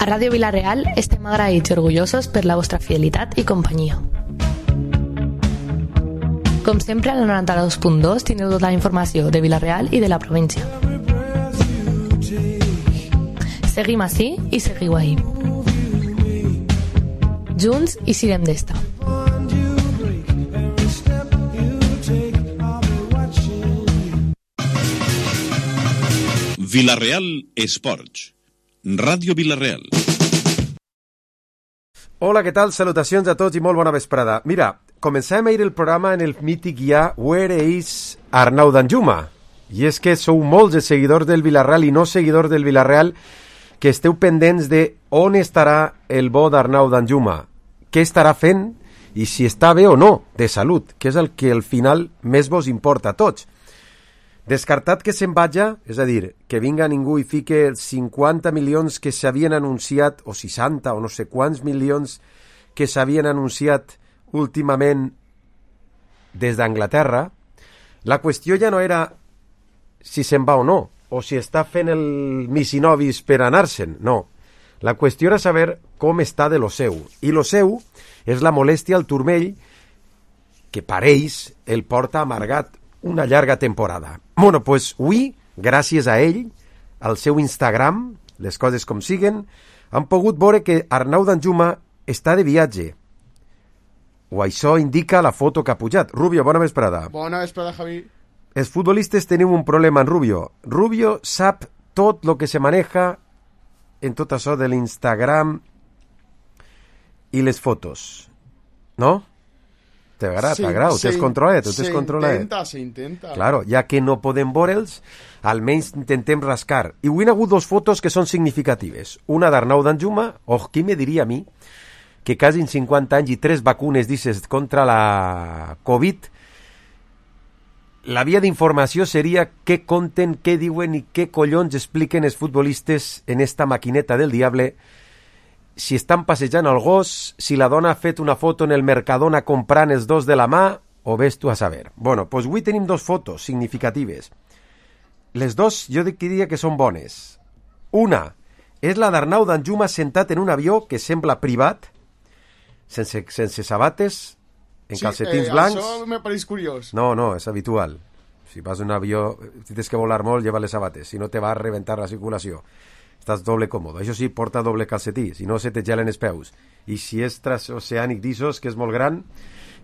A Ràdio Vila-real estem agraïts i orgullosos per la vostra fidelitat i companyia. Com sempre, al 92.2 teniu tota la informació de Vila-real i de la província. Seguim ací i seguiu ahí. Junts i sirem d'esta. Vila-real Esports. Ràdio Vila-real. Hola, què tal? Salutacions a tots i molt bona vesprada. Mira, començàvem ahir el programa en el mític ja Where is Arnau Danjuma? I és que sou molts els seguidors del Vila-real i no seguidors del Vila-real que esteu pendents de on estarà el bo d'Arnau Danjuma, què estarà fent i si està bé o no de salut, que és el que al final més vos importa a tots. Descartat que se'n vaja, és a dir, que vinga ningú i fique els 50 milions que s'havien anunciat, o 60 o no sé quants milions que s'havien anunciat últimament des d'Anglaterra, la qüestió ja no era si se'n va o no, o si està fent el misinovis per anar-se'n, no. La qüestió era saber com està de lo seu, i lo seu és la molèstia al turmell que pareix el porta amargat una llarga temporada. Bueno, pues avui, gràcies a ell, al seu Instagram, les coses com siguen, han pogut veure que Arnau Danjuma està de viatge. O això indica la foto que ha pujat. Rubio, bona vesprada. Bona vesprada, Javi. Els futbolistes tenim un problema en Rubio. Rubio sap tot el que se maneja en tot això de l'Instagram i les fotos. No? T'agrada, t'agrada, ho tens controlat, ho tens controlat. S'intenta. Claro, ja que no podem veure'ls, almenys intentem rascar. I avui hi ha hagut dos fotos que són significatives. Una d'Arnau Danjuma, qui me diria a mi, que quasi en 50 anys i 3 vacunes, dices, contra la Covid, la via d'informació seria què conten, què diuen i què collons expliquen els futbolistes en esta maquineta del diable, si estan passejant el gos, si la dona ha fet una foto en el Mercadona comprant els dos de la mà, o ves tu a saber. Bueno, doncs avui tenim dos fotos significatives. Les dos jo diria que són bones. Una és la d'Arnau Danjuma sentat en un avió que sembla privat, sense sabates, en calcetins blancs. Això me pareix curiós. No, és habitual. Si vas en un avió, si tens que volar molt, lleva les sabates, si no te va a reventar la circulació. Estàs doble còmode. Això sí, porta doble calcetí, si no se te gelen els peus. I si és transoceànic d'Issos, que és molt gran,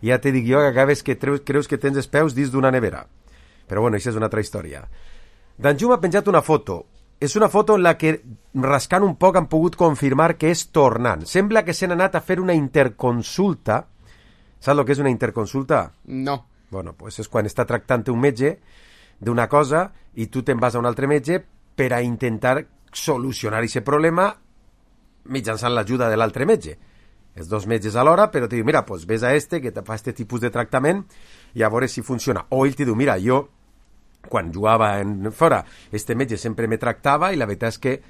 ja te dic jo que acabes que creus que tens els peus dins d'una nevera. Però bueno, això és una altra història. Danjuma ha penjat una foto. És una foto en la que, rascant un poc, han pogut confirmar que és tornant. Sembla que s'han anat a fer una interconsulta. Saps el que és una interconsulta? No. Bueno, pues és quan està tractant un metge d'una cosa i tu te'n vas a un altre metge per a intentar solucionar aquest problema mitjançant l'ajuda de l'altre metge. Els dos metges alhora, però te diu, mira, pues ves a que te fa este tipus de tractament i a veure si funciona. O ell te diu, mira, jo quan jugava fora, este metge sempre me tractava i la veritat és que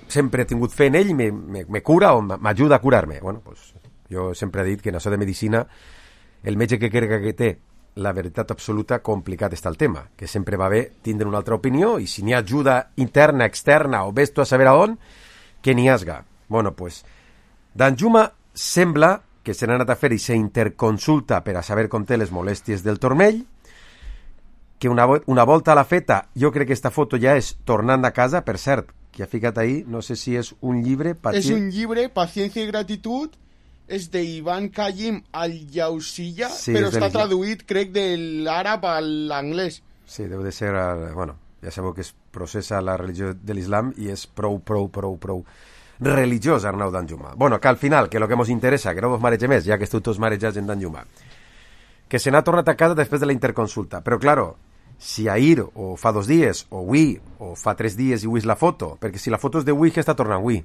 sempre he tingut fe en ell i me cura o m'ajuda a curar-me. Bueno, pues jo sempre he dit que en això de medicina el metge que crega que té la veritat absoluta, complicat està el tema, que sempre va bé tindre una altra opinió i si n'hi ha ajuda interna, externa o ves tu a saber a on, que n'hi hasga. Bueno, pues, Danjuma sembla que se n'ha anat a fer i s'interconsulta per a saber com té les molèsties del turmell, que una volta a la feta, jo crec que esta foto ja és tornant a casa, per cert, que ha ficat ahí, no sé si és un llibre... És un llibre, Paciencia i gratitud, és d'Ivan Kayim al-Yausilla, sí, però està traduït, crec, de l'àrab a l'anglès. Sí, deu de ser... Bueno, ja sabeu que es processa la religió de l'islam i és prou religiós, Arnau Danjuma. Bueno, que al final, que lo que ens interessa, que no vos marege més, ja que esteu tots marejats en Danjuma, que se n'ha tornat a casa després de la interconsulta. Però, claro, si ahir, o fa 2 dies, o avui, o fa 3 dies i avui és la foto, perquè si la foto és d'avui, que està tornant avui,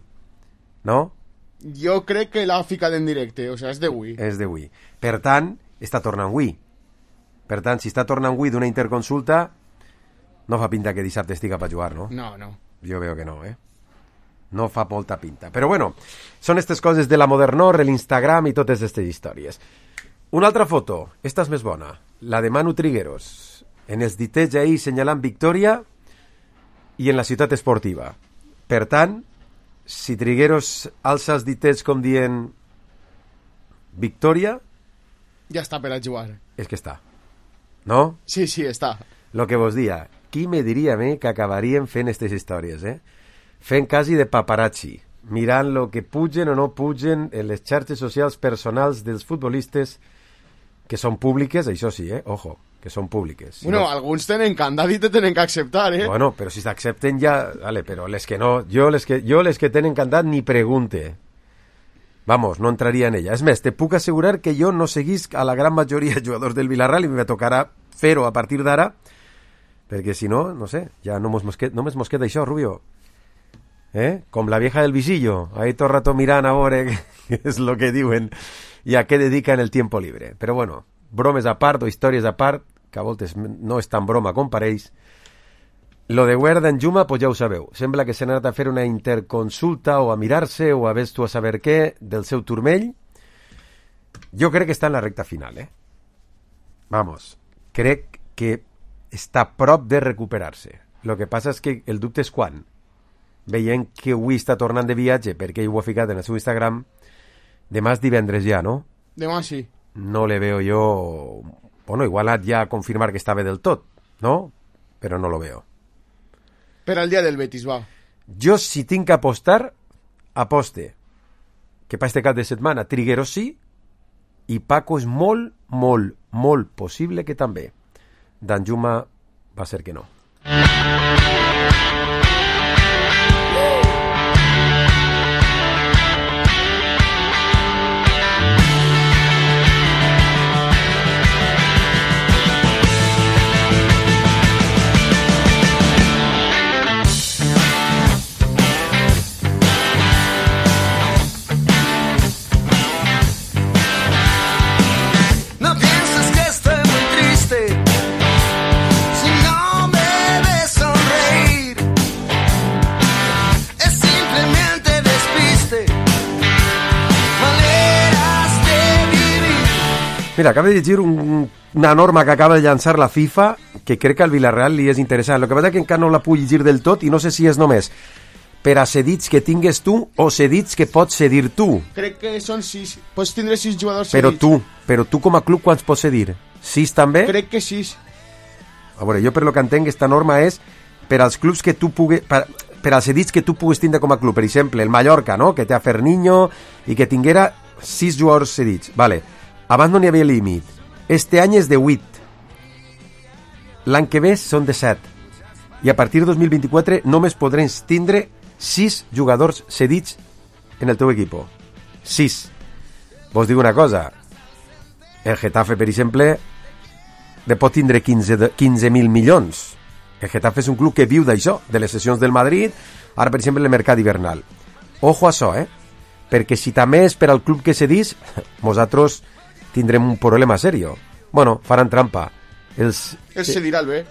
no? Jo crec que l'ha ficat en directe, o sigui, és d'avui. És d'avui. Per tant, està tornant avui. Per tant, si està tornant avui d'una interconsulta, no fa pinta que dissabte estigui per jugar, no? No. Jo veo que no, No fa molta pinta. Però bueno, són aquestes coses de la modernor, l'Instagram i totes aquestes històries. Una altra foto, esta és més bona, la de Manu Trigueros, en els ditets ahir senyalant victòria i en la ciutat esportiva. Per tant, si Trigueros alça els ditets com dient victòria... Ja està per a jugar. És que està. No? Sí, està. Lo que vos dia. Qui me diria a mi que acabaríem fent aquestes històries, Fent quasi de paparazzi, mirant lo que pugen o no pugen en les xarxes socials personals dels futbolistes que són públiques, això sí, ojo, que són públiques. Si bueno, no... alguns tenen candat i te tenen que acceptar, Bueno, però si s'accepten ja... Vale, però les que no... Jo les que tenen candat ni pregunte. Vamos, no entraria en ella. És més, te puc assegurar que jo no seguisc a la gran majoria de jugadors del Villarreal i me tocarà fer-ho a partir d'ara, perquè si no, no sé, ja no més mos queda això, Rubio. Com la vieja del visillo, ahí todo el rato mirant a veure què és lo que diuen i a què dediquen el tiempo libre. Però bueno, bromes a part o històries a part, que a voltes no és tan broma com pareix. Lo de Guerra Danjuma, pues ja ho sabeu. Sembla que s'ha anat a fer una interconsulta o a mirar-se o a ves tu a saber què del seu turmell. Jo crec que està en la recta final, Vamos, crec que està a prop de recuperar-se. Lo que passa és que el dubte és quan. Veient que avui està tornant de viatge, perquè ell ho ha ficat en el seu Instagram, demà és divendres ja, no? Demà sí. No le veo yo... Bueno, igual ha ja confirmar que està bé del tot, no? Però no lo veo. Per al dia del Betis, va. Jo, si tinc que apostar, aposte que per este cap de setmana Trigueros sí i Paco és molt, molt, molt possible que també. Danjuma va ser que no. Mira, acabo de llegir una norma que acaba de llançar la FIFA que crec que al Villarreal li és interessant. El que passa és que encara no la puc llegir del tot i no sé si és només per a cedits que tingues tu o cedits que pots cedir tu. Crec que són 6. Pots tindre 6 jugadors cedits. Però tu com a club quants pots cedir? 6 també? Crec que 6. A veure, jo per lo que entenc esta norma és per als clubs que tu pugues... Per als cedits que tu pugues tindre com a club. Per exemple, el Mallorca, no? Que té a Ferniño i que tinguera 6 jugadors cedits. Vale. Abans no n'hi havia límit. Este any és de 8. L'any que ve són de 7. I a partir de 2024 només podràs tindre 6 jugadors cedits en el teu equip. 6. Vos dic una cosa. El Getafe, per exemple, de pot tindre 15.000 milions. El Getafe és un club que viu d'això, de les sessions del Madrid, ara, per exemple, el mercat hivernal. Ojo a això, perquè si també és per al club que cedís, nosaltres tindrem un problema serio. Bueno, faran trampa. Els cedirà el bé.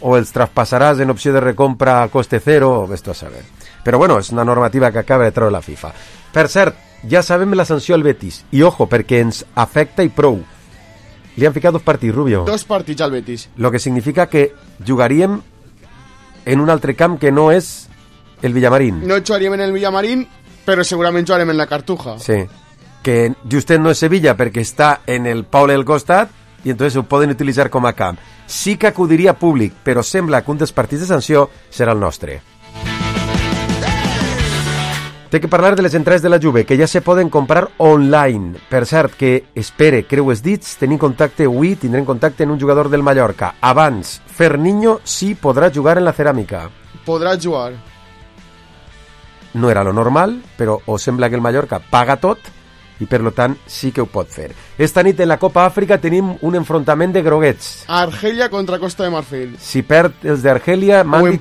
O els traspassaràs en opció de recompra a coste cero, o ves tu a saber. Però bueno, és una normativa que acaba de treure la FIFA. Per cert, ja sabem la sanció al Betis. I ojo, perquè ens afecta i prou. Li han ficat 2 partits, Rubio. 2 partits al Betis. Lo que significa que jugaríem en un altre camp que no és el Villamarín. No jugaríem en el Villamarín, però segurament jugarem en la Cartuja. Sí. Que justet no és Sevilla perquè està en el poble del costat i entonces ho poden utilitzar com a camp. Sí que acudiria públic, però sembla que un dels partits de sanció serà el nostre. Té que parlar de les entrades de la Juve, que ja se poden comprar online. Per cert, que espere, creu els dits, tenim contacte avui, tindrem contacte en un jugador del Mallorca. Abans, Ferniño sí podrà jugar en la ceràmica. Podrà jugar. No era lo normal, però o sembla que el Mallorca paga tot i per lo tant sí que ho pot fer. Esta nit en la Copa Àfrica tenim un enfrontament de groguets. Argelia contra Costa de Marfil. Si perd els d'Argelia, Mandi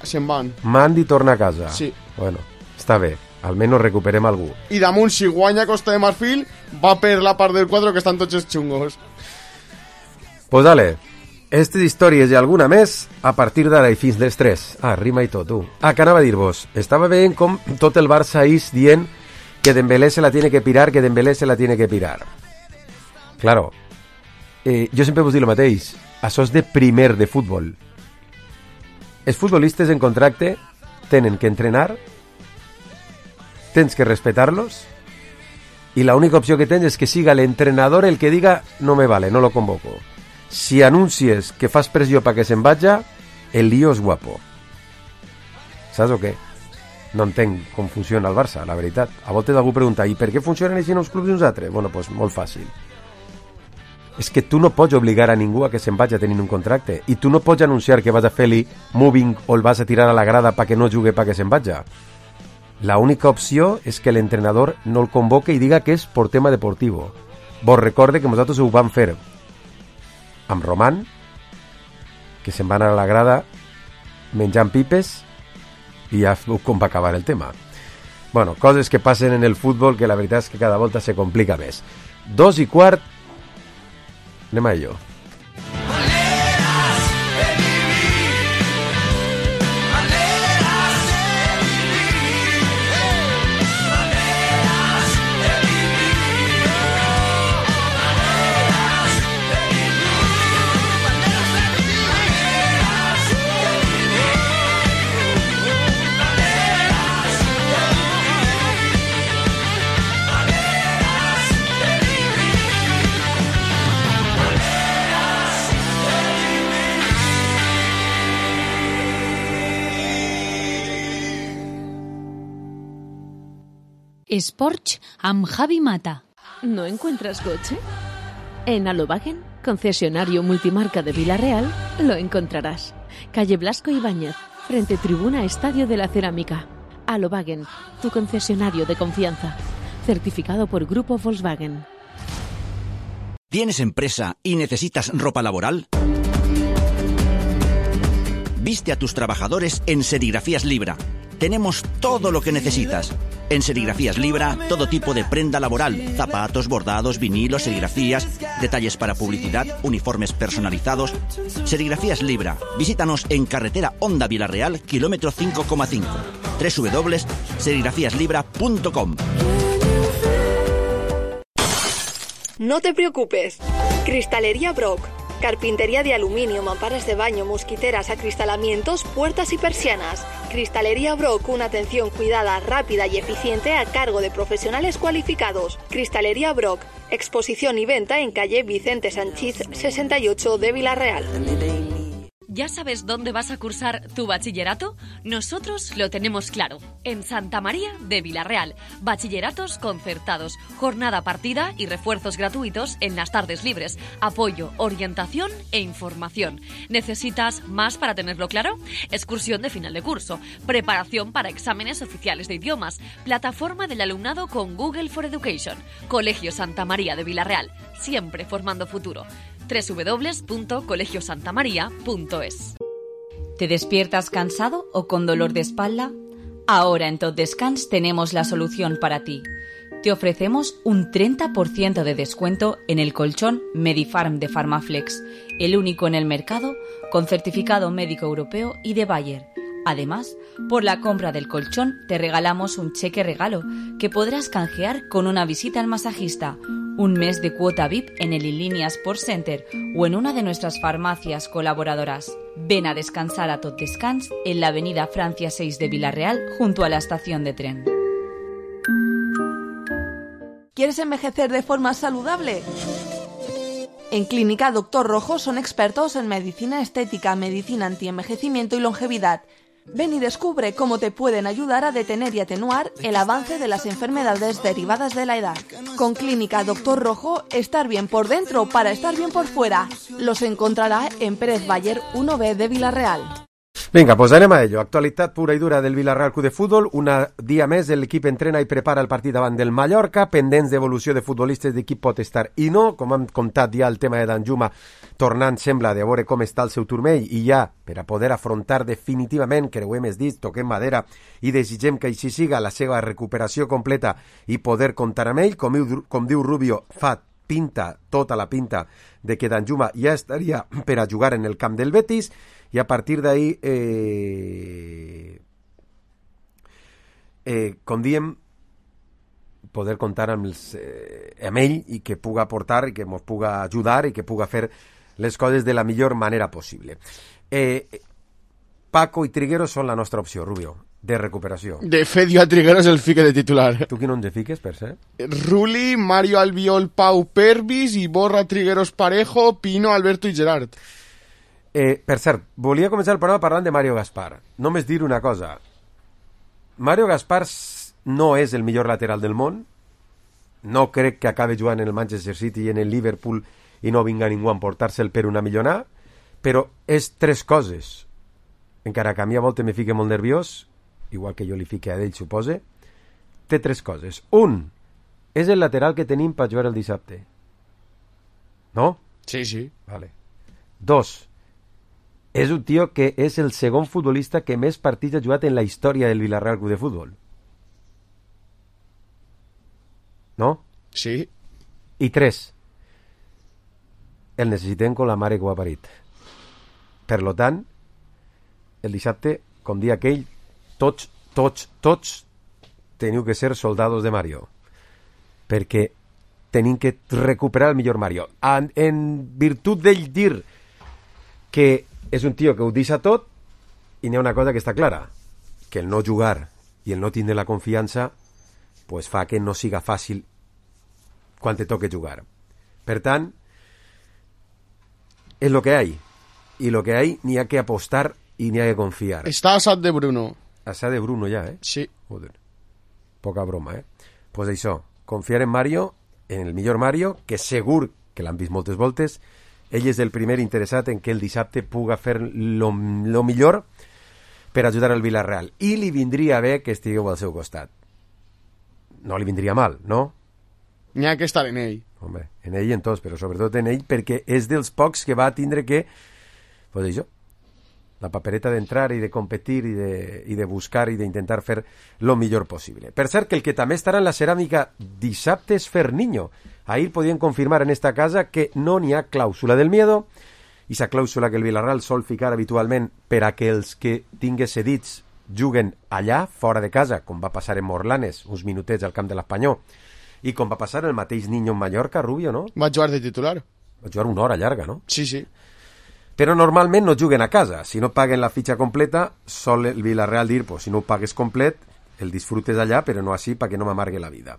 se'n van. Mandi torna a casa. Sí. Bueno, està bé, almenys recuperem algú. I damunt, si guanya Costa de Marfil, va per la part del quadre que estan tots els xungos. Pues dale, aquestes històries i alguna més a partir d'ara i fins les 3. Ah, rima i tot, tu. Ah, que anava a dir-vos, estava veient com tot el Barça és dient que Dembélé se la tiene que pirar, que Dembélé se la tiene que pirar. Claro, jo sempre vos dic el mateix, això és de primer de futbol. Els futbolistes en contracte tenen que entrenar, tens que respetar-los, i l'única opció que tens és que siga l'entrenador el que diga no me vale, no lo convoco. Si anuncies que fas pressió perquè se'n vaja, el lío és guapo. Saps o què? No entenc com funciona el Barça, la veritat. A voltes algú pregunta, i per què funcionen així en uns clubs i uns altres? Bueno, doncs molt fàcil. És que tu no pots obligar a ningú a que se'n vagi tenint un contracte, i tu no pots anunciar que vas a fer-li moving o el vas a tirar a la grada perquè no jugui perquè se'n vagi. La única opció és que l'entrenador no el convoque i diga que és per tema deportiu. Vos recorde que nosaltres ho vam fer amb Roman, que se'n va anar a la grada menjant pipes, i ja com va acabar el tema. Bueno, coses que passen en el futbol que la veritat és que cada volta se complica més. 2:15, anem a ello. Sports amb Javi Mata. ¿No encuentras coche? En Alobagen, concesionario multimarca de Vila-real, lo encontrarás. Calle Blasco Ibáñez, frente Tribuna Estadio de la Cerámica. Alobagen, tu concesionario de confianza. Certificado por Grupo Volkswagen. ¿Tienes empresa y necesitas ropa laboral? Viste a tus trabajadores en Serigrafías Libra. Tenemos todo lo que necesitas. En Serigrafías Libra, todo tipo de prenda laboral, zapatos, bordados, vinilos, serigrafías, detalles para publicidad, uniformes personalizados. Serigrafías Libra. Visítanos en carretera Honda Vila-real, kilómetro 5,5. www.serigrafíaslibra.com. No te preocupes. Cristalería Brock. Carpintería de aluminio, mamparas de baño, mosquiteras, acristalamientos, puertas y persianas. Cristalería Brock, una atención cuidada, rápida y eficiente a cargo de profesionales cualificados. Cristalería Brock, exposición y venta en calle Vicente Sanchís 68 de Vila-real. ¿Ya sabes dónde vas a cursar tu bachillerato? Nosotros lo tenemos claro. En Santa María de Vila-real. Bachilleratos concertados, jornada partida y refuerzos gratuitos en las tardes libres. Apoyo, orientación e información. ¿Necesitas más para tenerlo claro? Excursión de final de curso, preparación para exámenes oficiales de idiomas, plataforma del alumnado con Google for Education. Colegio Santa María de Vila-real, siempre formando futuro. www.colegiosantamaria.es. ¿Te despiertas cansado o con dolor de espalda? Ahora en Tot Descans tenemos la solución para ti. Te ofrecemos un 30% de descuento en el colchón Medifarm de Pharmaflex, el único en el mercado con certificado médico europeo y de Bayer. Además, por la compra del colchón te regalamos un cheque regalo que podrás canjear con una visita al masajista, un mes de cuota VIP en el Inlínea Sports Center o en una de nuestras farmacias colaboradoras. Ven a descansar a Tot Descans en la avenida Francia 6 de Vila-real junto a la estación de tren. ¿Quieres envejecer de forma saludable? En Clínica Doctor Rojo son expertos en medicina estética, medicina antienvejecimiento y longevidad. Ven y descubre cómo te pueden ayudar a detener y atenuar el avance de las enfermedades derivadas de la edad. Con Clínica Doctor Rojo, estar bien por dentro para estar bien por fuera. Los encontrará en Pérez Bayer 1B de Vila-real. Vinga, doncs anem a ello. Actualitat pura i dura del Vila-real Club de Futbol. Un dia més l'equip entrena i prepara el partit davant del Mallorca, pendents d'evolució de futbolistes d'equip pot estar i no. Com hem contat ja el tema de Danjuma, tornant sembla de veure com està el seu turmell i ja per a poder afrontar definitivament, que ho hem dit, toquem madera i desitgem que així siga la seva recuperació completa i poder comptar amb ell. Com diu Rubio, tota la pinta de que Danjuma ja estaria per a jugar en el camp del Betis. I a partir d'ahí, com diem, poder comptar amb ell i que puga aportar i que ens puga ajudar i que puga fer les coses de la millor manera possible. Paco i Trigueros són la nostra opció, Rubio. de recuperació. De fet, jo a Trigueros el fique de titular. Tu qui no ens fiques, per ser? Ruli, Mario Albiol, Pau Pervis, Iborra, Trigueros Parejo, Pino, Alberto i Gerard. Per cert, volia començar el programa parlant de Mario Gaspar. Només dir una cosa. Mario Gaspar no és el millor lateral del món. No crec que acabe jugant en el Manchester City i en el Liverpool i no vinga ningú a emportar-se'l per una millonada, però és tres coses. Encara que a mi a voltes me fique molt nerviós, igual que jo li fique a ell, supose, té tres coses. Un, és el lateral que tenim per jugar el dissabte. No? Sí, sí. Vale. Dos, és un tio que és el segon futbolista que més partits ha jugat en la història del Villarreal Club de Futbol. No? Sí. I tres, el necessitem con la mare que ho ha parit. Per lo tant, el dissabte, com dia aquell, tots teniu que ser soldados de Mario, perquè tenim que recuperar el millor Mario. En virtut d'ell dir que és un tio que ho deixa tot, i n'hi ha una cosa que està clara, que el no jugar i el no tindre la confiança pues fa que no siga fàcil quan te toque jugar. Per tant, és lo que hay, i lo que hay n'hi ha que apostar i n'hi ha que confiar. Està asat de Bruno. Asat de Bruno ja, Sí. Joder. Poca broma, Pues això, confiar en Mario, en el millor Mario, que segur que l'han vist moltes voltes. Ell és el primer interessat en que el dissabte puga fer lo millor per ajudar al Villarreal. I li vindria bé que estigueu al seu costat. No li vindria mal, no? N'hi ha que estar en ell. Home, en ell i en tots, però sobretot en ell, perquè és dels pocs que va tindre que, pues això, la papereta d'entrar i de competir i de buscar i d'intentar fer lo millor possible. Per cert, que el que també estarà en la ceràmica dissabte és Ferniño. Ahir podien confirmar en esta casa que no n'hi ha clàusula del miedo, i esa clàusula que el Villarreal sol ficar habitualment per a que els que tinguin cedits juguen allà, fora de casa, com va passar en Morlanes, uns minutets al camp de l'Espanyol, i com va passar el mateix Niño en Mallorca, Rubio, no? Va jugar de titular. Va jugar una hora llarga, no? Sí, sí. Però normalment no juguen a casa. Si no paguen la fitxa completa, sol el Villarreal dir, pues si no ho pagues complet, el disfrutes allà, però no així, perquè no m'amargue la vida.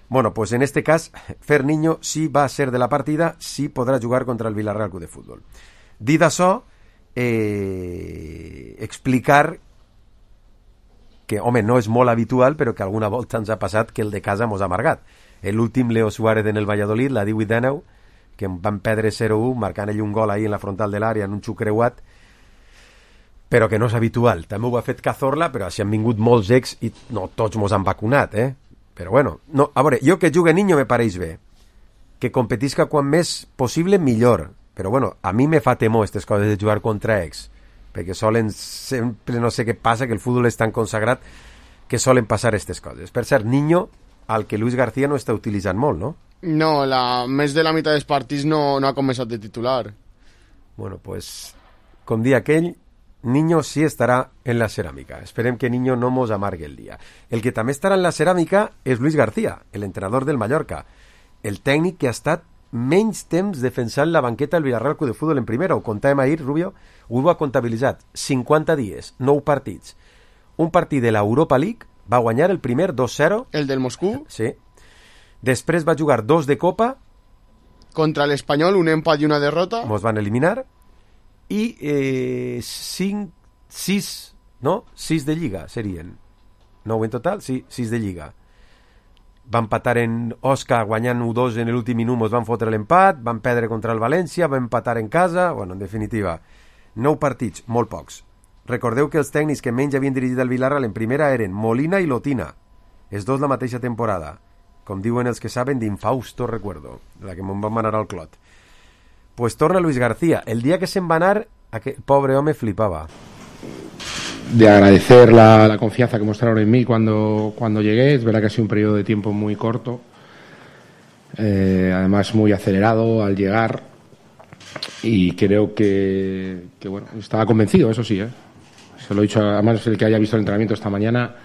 Bueno, pues en este cas, Ferniño sí va a ser de la partida, sí podrà jugar contra el Villarreal Club de Futbol. Dit això, explicar que, home, no és molt habitual, però que alguna volta ens ha passat que el de casa mos ha amargat. L'últim Leo Suárez en el Valladolid, la 18-19, que van perdre 0-1, marcant ell un gol ahí en la frontal de l'àrea, en un xuc creuat, però que no és habitual. També ho ha fet Cazorla, però així han vingut molts ex i no tots mos han vacunat, Però bueno, no, a veure, jo que jugue Niño me pareix bé. Que competisca quan més possible, millor. Però bueno, a mi me fa temor aquestes coses de jugar contra ex, perquè solen sempre, no sé què passa, que el futbol és tan consagrat que solen passar aquestes coses. Per cert, Niño, al que Luis García no està utilitzant molt, no? No, més de la meitat dels partits no ha començat de titular. Bueno, pues, com dia aquell, Niño sí estarà en la ceràmica. Esperem que Niño no mos amargue el dia. El que també estarà en la ceràmica és Luis García, l'entrenador del Mallorca, el tècnic que ha estat menys temps defensant la banqueta del Villarreal Club de Futbol en primera. Ho contàvem ahir, Rubio, ho ha comptabilitzat. 50 dies, 9 partits. Un partit de l'Europa League, va guanyar el primer 2-0. El del Moscú? Sí. Després va jugar 2 de Copa. Contra l'Espanyol, un empat i una derrota. Mos van eliminar. I 6 de Lliga serien. 9 en total? Sí, 6 de Lliga. Van empatar en Osca guanyant 1-2 en l'últim minut, mos van fotre l'empat, van perdre contra el València, van empatar en casa. Bueno, en definitiva, 9 partits, molt pocs. Recordeu que els tècnics que menys havien dirigit el Villarreal en primera eren Molina i Lotina, els dos la mateixa temporada, com diuen els que saben d'infausto recuerdo, la que me'n van anar al clot. Pues torna Luis García. El día que se'n va anar, aquel pobre home flipaba. De agradecer la confianza que mostraron en mí cuando llegué. Es verdad que ha sido un periodo de tiempo muy corto, además muy acelerado al llegar, y creo que bueno, estaba convencido, eso sí, se lo he dicho, además el que haya visto el entrenamiento esta mañana,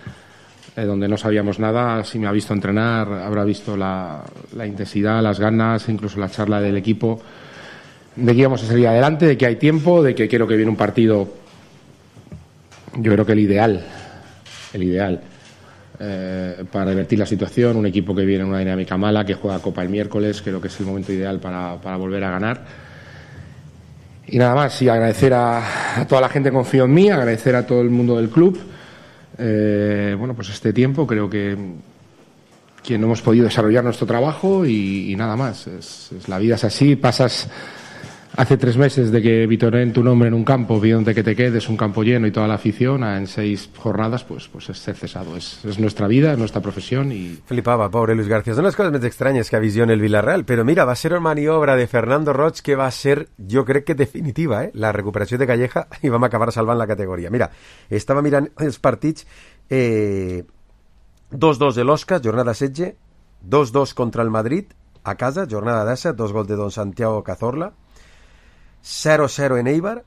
donde no sabíamos nada, si me ha visto entrenar habrá visto la intensidad, las ganas, incluso la charla del equipo, de que íbamos a salir adelante, de que hay tiempo, de que quiero que viene un partido, yo creo que el ideal el ideal para revertir la situación. Un equipo que viene en una dinámica mala, que juega Copa el miércoles, creo que es el momento ideal para volver a ganar. Y nada más, y agradecer a toda la gente que confío en mí, agradecer a todo el mundo del club. Bueno, pues este tiempo creo que no hemos podido desarrollar nuestro trabajo y nada más. La vida es así, pasas hace 3 meses de que vitoren tu nombre en un campo, pidiéndote que te quedes, un campo lleno y toda la afición, en 6 jornadas, pues es ser cesado. Es nuestra vida, es nuestra profesión y... Flipava, pobre Luis García. Són les coses més estranyes que visiona el Villarreal, però mira, va ser una maniobra de Fernando Roig que va ser, jo crec que definitiva, la recuperació de Calleja, i vam acabar salvant la categoria. Mira, estava mirant els partits, 2-2 de l'Osca, jornada 16, 2-2 contra el Madrid, a casa, jornada 17, 2 gols de Don Santiago Cazorla, 0-0 en Eibar,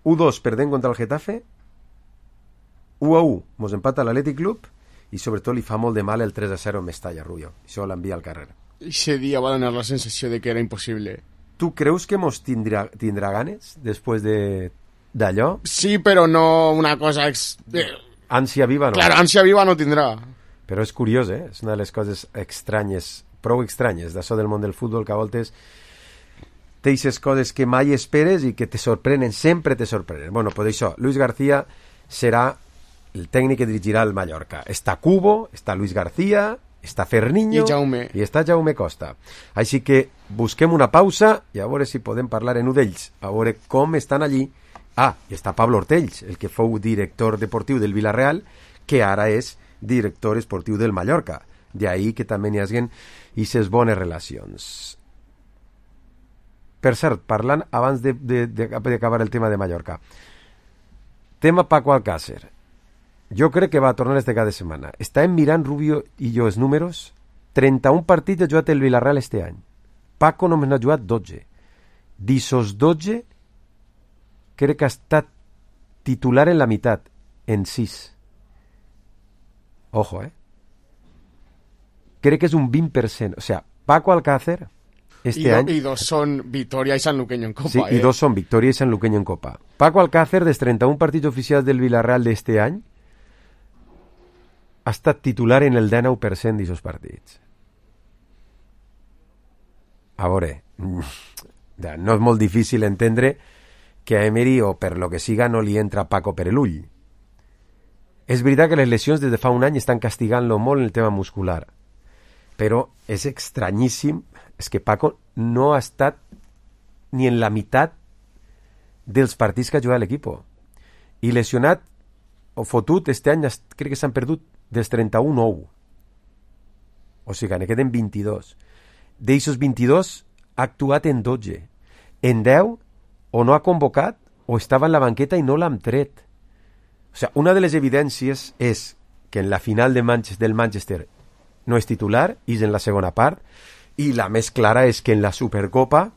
1-2 perdent contra el Getafe, 1-1 mos empata l'Atlètic Club i sobretot li fa molt de mal el 3-0 en Mestalla, Rubio. Això l'envia al carrer. Ese dia va donar la sensació de que era impossible. Tu creus que mos tindrà ganes després d'allò? Sí, però no una cosa... Ànsia viva no. Claro, ànsia viva no tindrà. Però és curiós, És una de les coses estranyes, prou estranyes, d'això del món del futbol, que a voltes teixes coses que mai esperes i que te sorprenen, sempre te sorprenen. Bueno, pues això, Luis García serà el tècnic que dirigirà el Mallorca. Està Cubo, està Luis García, està Ferniño i està Jaume Costa. Així que busquem una pausa i a veure si podem parlar en un d'ells, a veure com estan allí. I està Pablo Ortells, el que fou director deportiu del Villarreal, que ara és director esportiu del Mallorca. D'ahí que també n'hi hagin aquestes bones relacions. Per cert, parlant abans d'acabar el tema de Mallorca, tema Paco Alcácer. Jo crec que va tornar este cada setmana. Estàvem mirant, Rubio i jo, els números. 31 partits ha jugat el Villarreal este any. Paco només n'ha jugat 12. D'esos 12, crec que ha estat titular en la meitat, en 6. Ojo, Crec que és un 20%. O sea, Paco Alcácer... I 2 són Vitoria i Sanluqueño en Copa. Sí, i 2 són Victoria i Sanluqueño en Copa. Paco Alcácer, dels 31 partits oficials del Villarreal d'este any, ha estat titular en el 19% d'aquests partits. A veure, no és molt difícil entendre que a Emery, o per lo que siga, no li entra Paco per l'ull. És veritat que les lesions des de fa un any estan castigant-lo molt en el tema muscular, però és estranyíssim. És que Paco no ha estat ni en la meitat dels partits que ha jugat l'equip. I lesionat o fotut, este any crec que s'han perdut dels 31 9. O sigui, ne queden 22. D'eixos 22 ha actuat en 12. En 10 o no ha convocat o estava en la banqueta i no l'han tret. O sigui, una de les evidències és que en la final del Manchester no és titular i és en la segona part. I la més clara és que en la Supercopa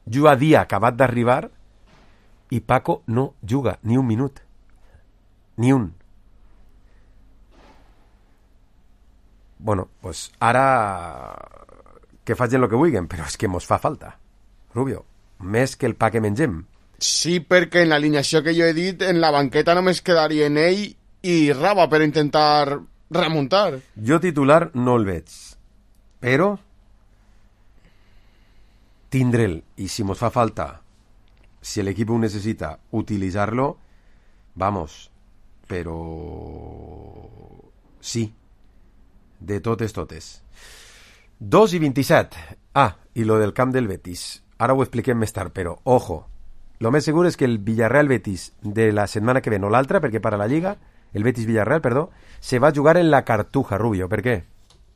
juga dia acabat d'arribar i Paco no juga ni un minut. Ni un. Bueno, pues ara que facin el que vulguin, però és que mos fa falta, Rubio, més que el pa que mengem. Sí, perquè en l'alineació que jo he dit, en la banqueta només quedarien ell i Raba per intentar remuntar. Jo titular no el veig. Però tindre'l, i si mos fa falta, si l'equip ho necessita, utilitzar-lo, vamos, però sí, de totes. 2:27. I lo del camp del Betis. Ara ho expliquem més tard, però, ojo, lo més segur és que el Villarreal-Betis de la setmana que ve, no l'altra, perquè para la Lliga, el Betis-Villarreal, perdó, se va a jugar en la Cartuja, Rubio. Per què?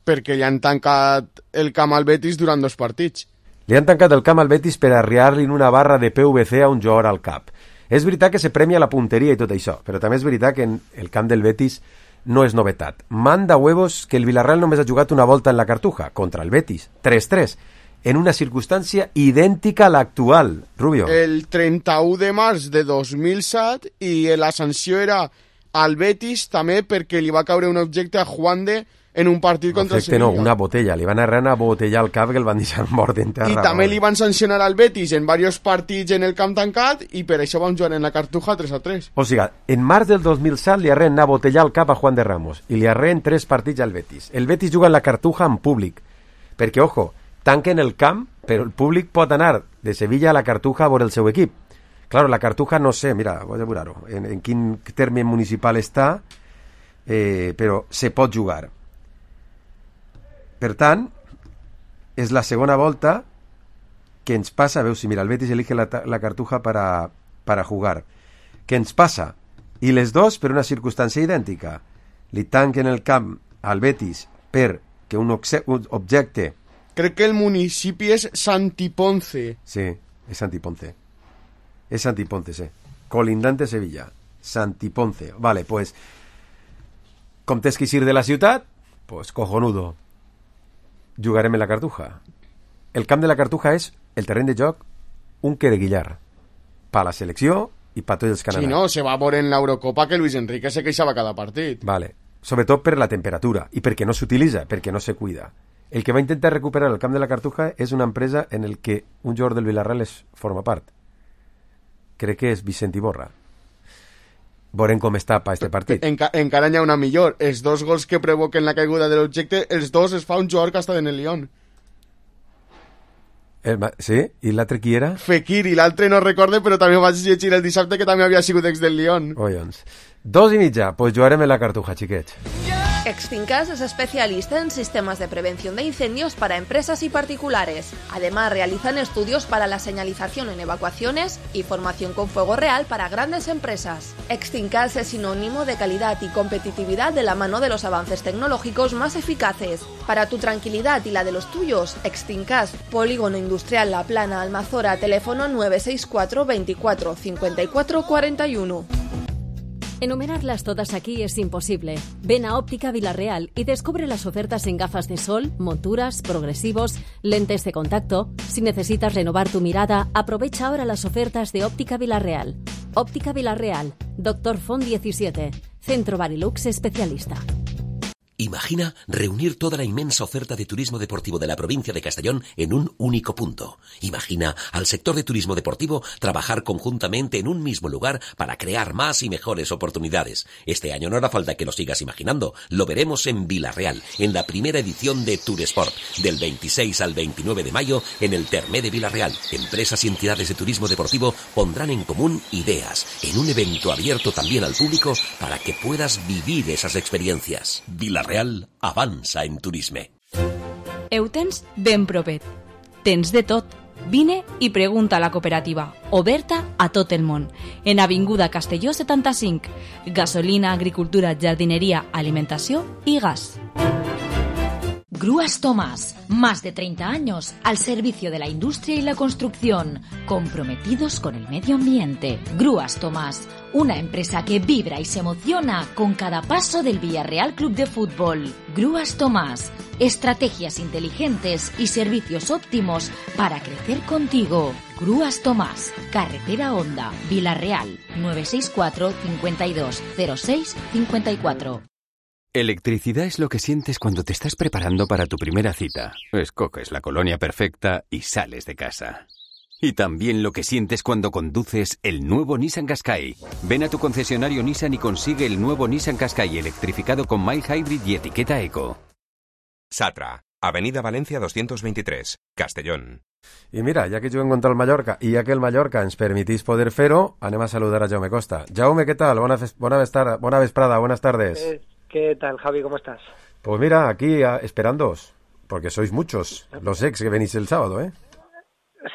Perquè li han tancat el camp al Betis durant 2 partits. Li han tancat el camp al Betis per arriar-li una barra de PVC a un jugador al cap. És veritat que se premia la punteria i tot això, però també és veritat que en el camp del Betis no és novetat. Manda huevos que el Villarreal només ha jugat una volta en la Cartuja, contra el Betis, 3-3, en una circumstància idèntica a l'actual, Rubio. El 31 de març de 2007 i la sanció era al Betis també perquè li va caure un objecte a Juande en un partit contra el Sevilla. No, una botella. Li van arrear una botella al cap que el van deixar mort d'enterra. I també li van sancionar al Betis en diversos partits en el camp tancat i per això vam jugar en la Cartuja 3-3. O sigui, en març del 2007 li arreen una botella al cap a Juan de Ramos i li arreen 3 partits al Betis. El Betis juga en la Cartuja en públic, perquè, ojo, tanquen el camp, però el públic pot anar de Sevilla a la Cartuja a veure el seu equip. Claro, la Cartuja no sé, mira, vaig a veure-ho, en quin terme municipal està, però se pot jugar. Per tant, és la segona volta que ens passa, veus, si mira, el Betis elige la Cartuja para jugar. Què ens passa? I les dos per una circumstància idèntica. Li tanquen el camp al Betis perquè un objecte... Crec que el municipi és Santiponce. Sí, és Santiponce. És Santiponce, sí. Colindante Sevilla. Santiponce. Vale, pues, com tens que eixir de la ciutat, pues, cojonudo. Jugarem en la Cartuja. El camp de la Cartuja és el terreny de joc un quereguillar per la selecció i per tots els que han anat. Sí, no, se va a veure en l'Eurocopa que Luis Enrique se queixava cada partit. Vale, sobretot per la temperatura i perquè no s'utilitza, perquè no se cuida. El que va intentar recuperar el camp de la Cartuja és una empresa en el que un jugador del Villarreal forma part. Crec que és Vicent Iborra. Veurem com està per este partit. Encara n'hi ha una millor. Els 2 gols que provoquen la caiguda de l'objecte, els 2 es fa un jugador que està en el Lyon. Sí? I l'altre qui era? Fekir, i l'altre no recorde, però també ho vaig llegir el dissabte que també havia sigut ex del Lyon. Collons. 2:30, pues jugarem en la Cartuja, xiquets. Extincas es especialista en sistemas de prevención de incendios para empresas y particulares. Además, realizan estudios para la señalización en evacuaciones y formación con fuego real para grandes empresas. Extincas es sinónimo de calidad y competitividad de la mano de los avances tecnológicos más eficaces. Para tu tranquilidad y la de los tuyos, Extincas, Polígono Industrial La Plana, Almazora, teléfono 964 24 54 41. Enumerarlas todas aquí es imposible. Ven a Óptica Villarreal y descubre las ofertas en gafas de sol, monturas, progresivos, lentes de contacto. Si necesitas renovar tu mirada, aprovecha ahora las ofertas de Óptica Villarreal. Óptica Villarreal, Dr. Font 17, Centro Barilux especialista. Imagina reunir toda la inmensa oferta de turismo deportivo de la provincia de Castellón en un único punto. Imagina al sector de turismo deportivo trabajar conjuntamente en un mismo lugar para crear más y mejores oportunidades. Este año no hará falta que lo sigas imaginando. Lo veremos en Villarreal, en la primera edición de Touresport, del 26 al 29 de mayo en el Termé de Villarreal. Empresas y entidades de turismo deportivo pondrán en común ideas en un evento abierto también al público para que puedas vivir esas experiencias. Villarreal avança en turisme. Ho tens ben propet. Tens de tot. Vine i pregunta a la cooperativa, oberta a tot el món. En Avinguda Castelló 75. Gasolina, agricultura, jardineria, alimentació i gas. Grúas Tomás, más de 30 años al servicio de la industria y la construcción, comprometidos con el medio ambiente. Grúas Tomás, una empresa que vibra y se emociona con cada paso del Villarreal Club de Fútbol. Grúas Tomás, estrategias inteligentes y servicios óptimos para crecer contigo. Grúas Tomás, Carretera Honda, Villarreal, 964 52 06 54. Electricidad es lo que sientes cuando te estás preparando para tu primera cita. Escoges la colonia perfecta y sales de casa. Y también lo que sientes cuando conduces el nuevo Nissan Qashqai. Ven a tu concesionario Nissan y consigue el nuevo Nissan Qashqai electrificado con mild hybrid y etiqueta eco. Satra, Avenida Valencia 223, Castellón. I mira, ja que juguem contra el Mallorca i ja que el Mallorca ens permitís poder fer-ho, anem a saludar a Jaume Costa. Jaume, què tal? Bona vesprada, buenas tardes. ¿Qué tal, Javi? ¿Cómo estás? Pues mira, aquí esperándoos, porque sois muchos los ex que venís el sábado, ¿eh?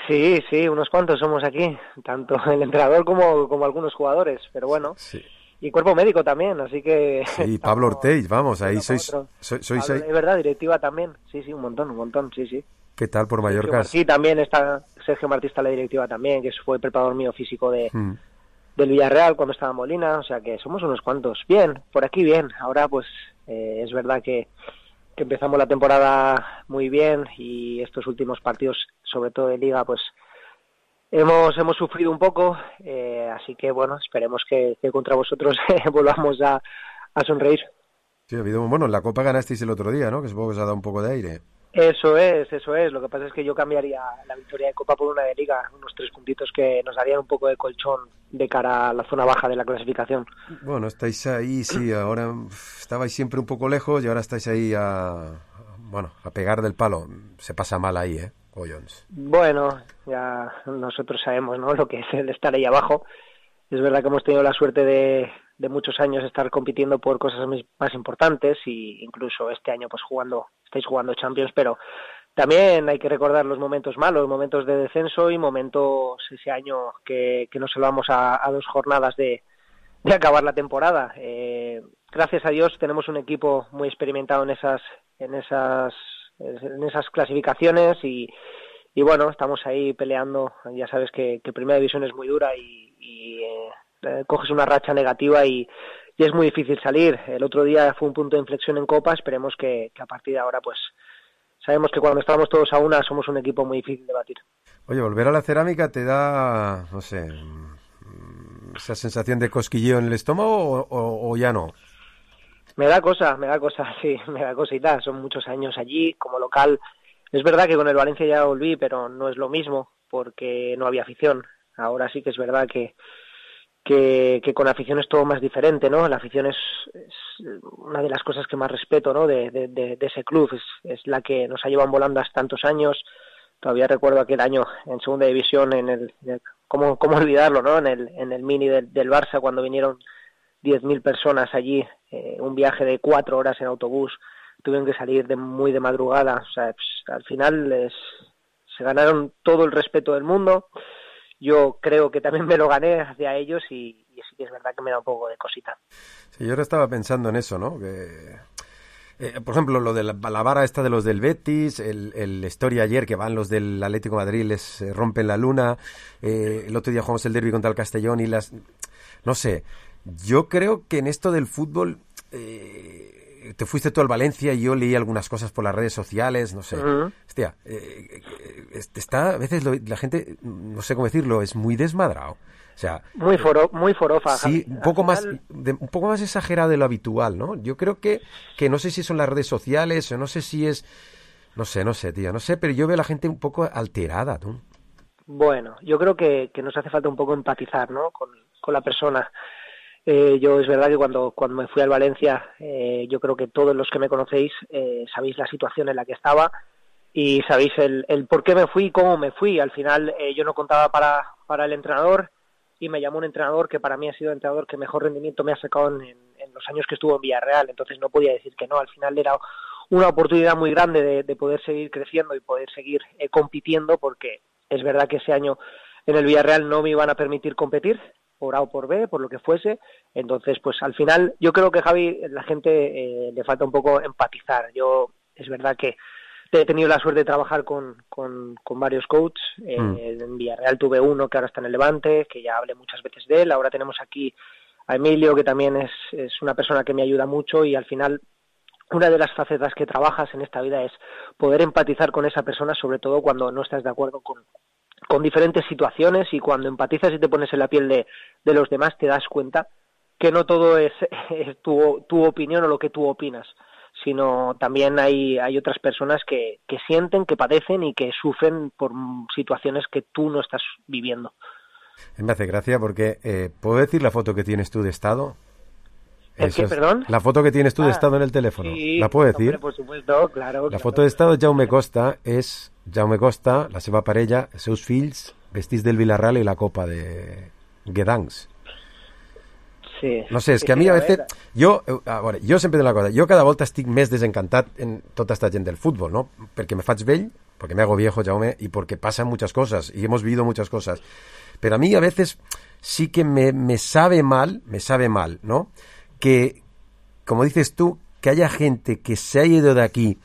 Sí, unos cuantos somos aquí, tanto el entrenador como algunos jugadores, pero bueno. Sí. Y cuerpo médico también, así que... Sí, Pablo Orteix, vamos, ahí sois Pablo, ahí. Es verdad, directiva también, sí, un montón, sí. ¿Qué tal por Mallorca? Sí, también está Sergio Martí, está la directiva también, que fue preparador mío físico del Villarreal cuando estaba en Molina, o sea que somos unos cuantos. Bien, por aquí bien. Ahora pues es verdad que empezamos la temporada muy bien y estos últimos partidos, sobre todo de Liga, pues hemos sufrido un poco, así que bueno, esperemos que contra vosotros volvamos a sonreír. Sí, ha habido, bueno, en la Copa ganasteis el otro día, ¿no? Que supongo que os ha dado un poco de aire. Eso es. Lo que pasa es que yo cambiaría la victoria de Copa por una de Liga, unos 3 puntitos que nos darían un poco de colchón de cara a la zona baja de la clasificación. Bueno, estáis ahí, sí, ahora estabais siempre un poco lejos y ahora estáis ahí a pegar del palo. Se pasa mal ahí, Collons. Bueno, ya nosotros sabemos, ¿no?, lo que es el estar ahí abajo. Es verdad que hemos tenido la suerte de muchos años estar compitiendo por cosas más importantes, y incluso este año pues estáis jugando Champions, pero también hay que recordar los momentos malos, momentos de descenso y momentos ese año que nos salvamos a 2 jornadas de acabar la temporada. Gracias a Dios tenemos un equipo muy experimentado en esas clasificaciones y bueno, estamos ahí peleando. Ya sabes que Primera División es muy dura y coges una racha negativa y es muy difícil salir. El otro día fue un punto de inflexión en Copa, esperemos que a partir de ahora pues sabemos que cuando estamos todos a una somos un equipo muy difícil de batir. Oye, volver a la cerámica te da, no sé, esa sensación de cosquilleo en el estómago o ya no. Me da cosa, sí, me da cosita. Son muchos años allí como local. Es verdad que con el Valencia ya volví, pero no es lo mismo porque no había afición. Ahora sí que es verdad que con afición es todo más diferente, ¿no? La afición es una de las cosas que más respeto, ¿no?, de ese club. Es la que nos ha llevado volando hasta tantos años. Todavía recuerdo aquel año en Segunda División, ¿cómo olvidarlo, ¿no?, en el mini del Barça, cuando vinieron 10.000 personas allí, un viaje de 4 horas en autobús, tuvieron que salir muy de madrugada. O sea, pues, al final se ganaron todo el respeto del mundo. Yo creo que también me lo gané hacia ellos y sí que es verdad que me da un poco de cosita. Sí, yo ahora estaba pensando en eso, ¿no? Que, por ejemplo, lo de la vara esta de los del Betis, el historia ayer que van los del Atlético de Madrid, les rompen la luna, el otro día jugamos el derbi contra el Castellón y no sé, yo creo que en esto del fútbol te fuiste tú al Valencia y yo leí algunas cosas por las redes sociales, no sé. Uh-huh. Hostia, está a veces la gente, no sé cómo decirlo, es muy desmadrado. O sea, muy forofa. Sí, un poco más exagerado de lo habitual, ¿no? Yo creo que no sé si son las redes sociales o no sé si es, no sé, tío, no sé, pero yo veo a la gente un poco alterada, ¿no? Bueno, yo creo que nos hace falta un poco empatizar, ¿no?, con la persona. Yo es verdad que cuando me fui al Valencia, yo creo que todos los que me conocéis sabéis la situación en la que estaba y sabéis el por qué me fui y cómo me fui. Al final yo no contaba para el entrenador y me llamó un entrenador que para mí ha sido el entrenador que mejor rendimiento me ha sacado en los años que estuvo en Villarreal. Entonces no podía decir que no. Al final era una oportunidad muy grande de poder seguir creciendo y poder seguir compitiendo, porque es verdad que ese año en el Villarreal no me iban a permitir competir, por A o por B, por lo que fuese. Entonces, pues al final, yo creo que Javi, la gente le falta un poco empatizar. Yo, es verdad que he tenido la suerte de trabajar con varios coaches. En Villarreal tuve uno que ahora está en el Levante, que ya hablé muchas veces de él. Ahora tenemos aquí a Emilio, que también es una persona que me ayuda mucho, y al final, una de las facetas que trabajas en esta vida es poder empatizar con esa persona, sobre todo cuando no estás de acuerdo con diferentes situaciones, y cuando empatizas y te pones en la piel de los demás te das cuenta que no todo es tu opinión o lo que tú opinas, sino también hay otras personas que sienten, que padecen y que sufren por situaciones que tú no estás viviendo. Me hace gracia porque ¿puedo decir la foto que tienes tú de estado? ¿El qué, perdón? La foto que tienes tú de estado en el teléfono. Sí, ¿la puedo decir? Hombre, por supuesto, claro. La foto de estado de Jaume Costa és Jaume Costa, la seva parella, els seus fills, vestits del Villarreal i la copa de Gdansk. Sí. No sé, és que a mi a veces... Jo sempre dic una cosa, jo cada volta estic més desencantat en tota esta gent del futbol, ¿no? Perquè me faig vell, porque me hago viejo, Jaume, y porque pasan muchas cosas, y hemos vivido muchas cosas. Pero a mí a veces sí que me sabe mal, ¿no?, que, como dices tú, que haya gente que se haya ido de aquí,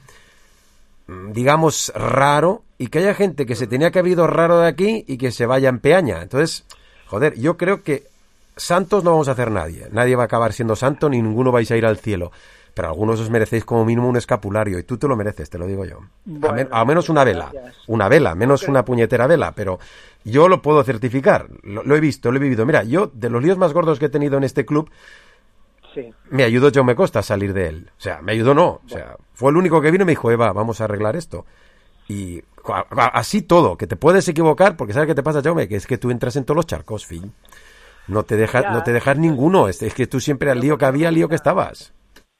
digamos, raro, y que haya gente que se tenía que haber ido raro de aquí y que se vaya en peaña. Entonces, joder, yo creo que santos no vamos a hacer nadie. Nadie va a acabar siendo santo, ni ninguno vais a ir al cielo. Pero algunos os merecéis como mínimo un escapulario, y tú te lo mereces, te lo digo yo. Bueno, al menos una vela. Gracias. Una vela, menos una puñetera vela, pero yo lo puedo certificar. Lo he visto, lo he vivido. Mira, yo, de los líos más gordos que he tenido en este club, me ayudó Jaume Costa a salir de él. O sea, me ayudó no. O sea, fue el único que vino y me dijo, Eva, vamos a arreglar esto. Y así todo, que te puedes equivocar, porque ¿sabes qué te pasa, Jaume? Que es que tú entras en todos los charcos, fin. No te dejas ninguno. Es que tú siempre al lío que había, al lío que estabas.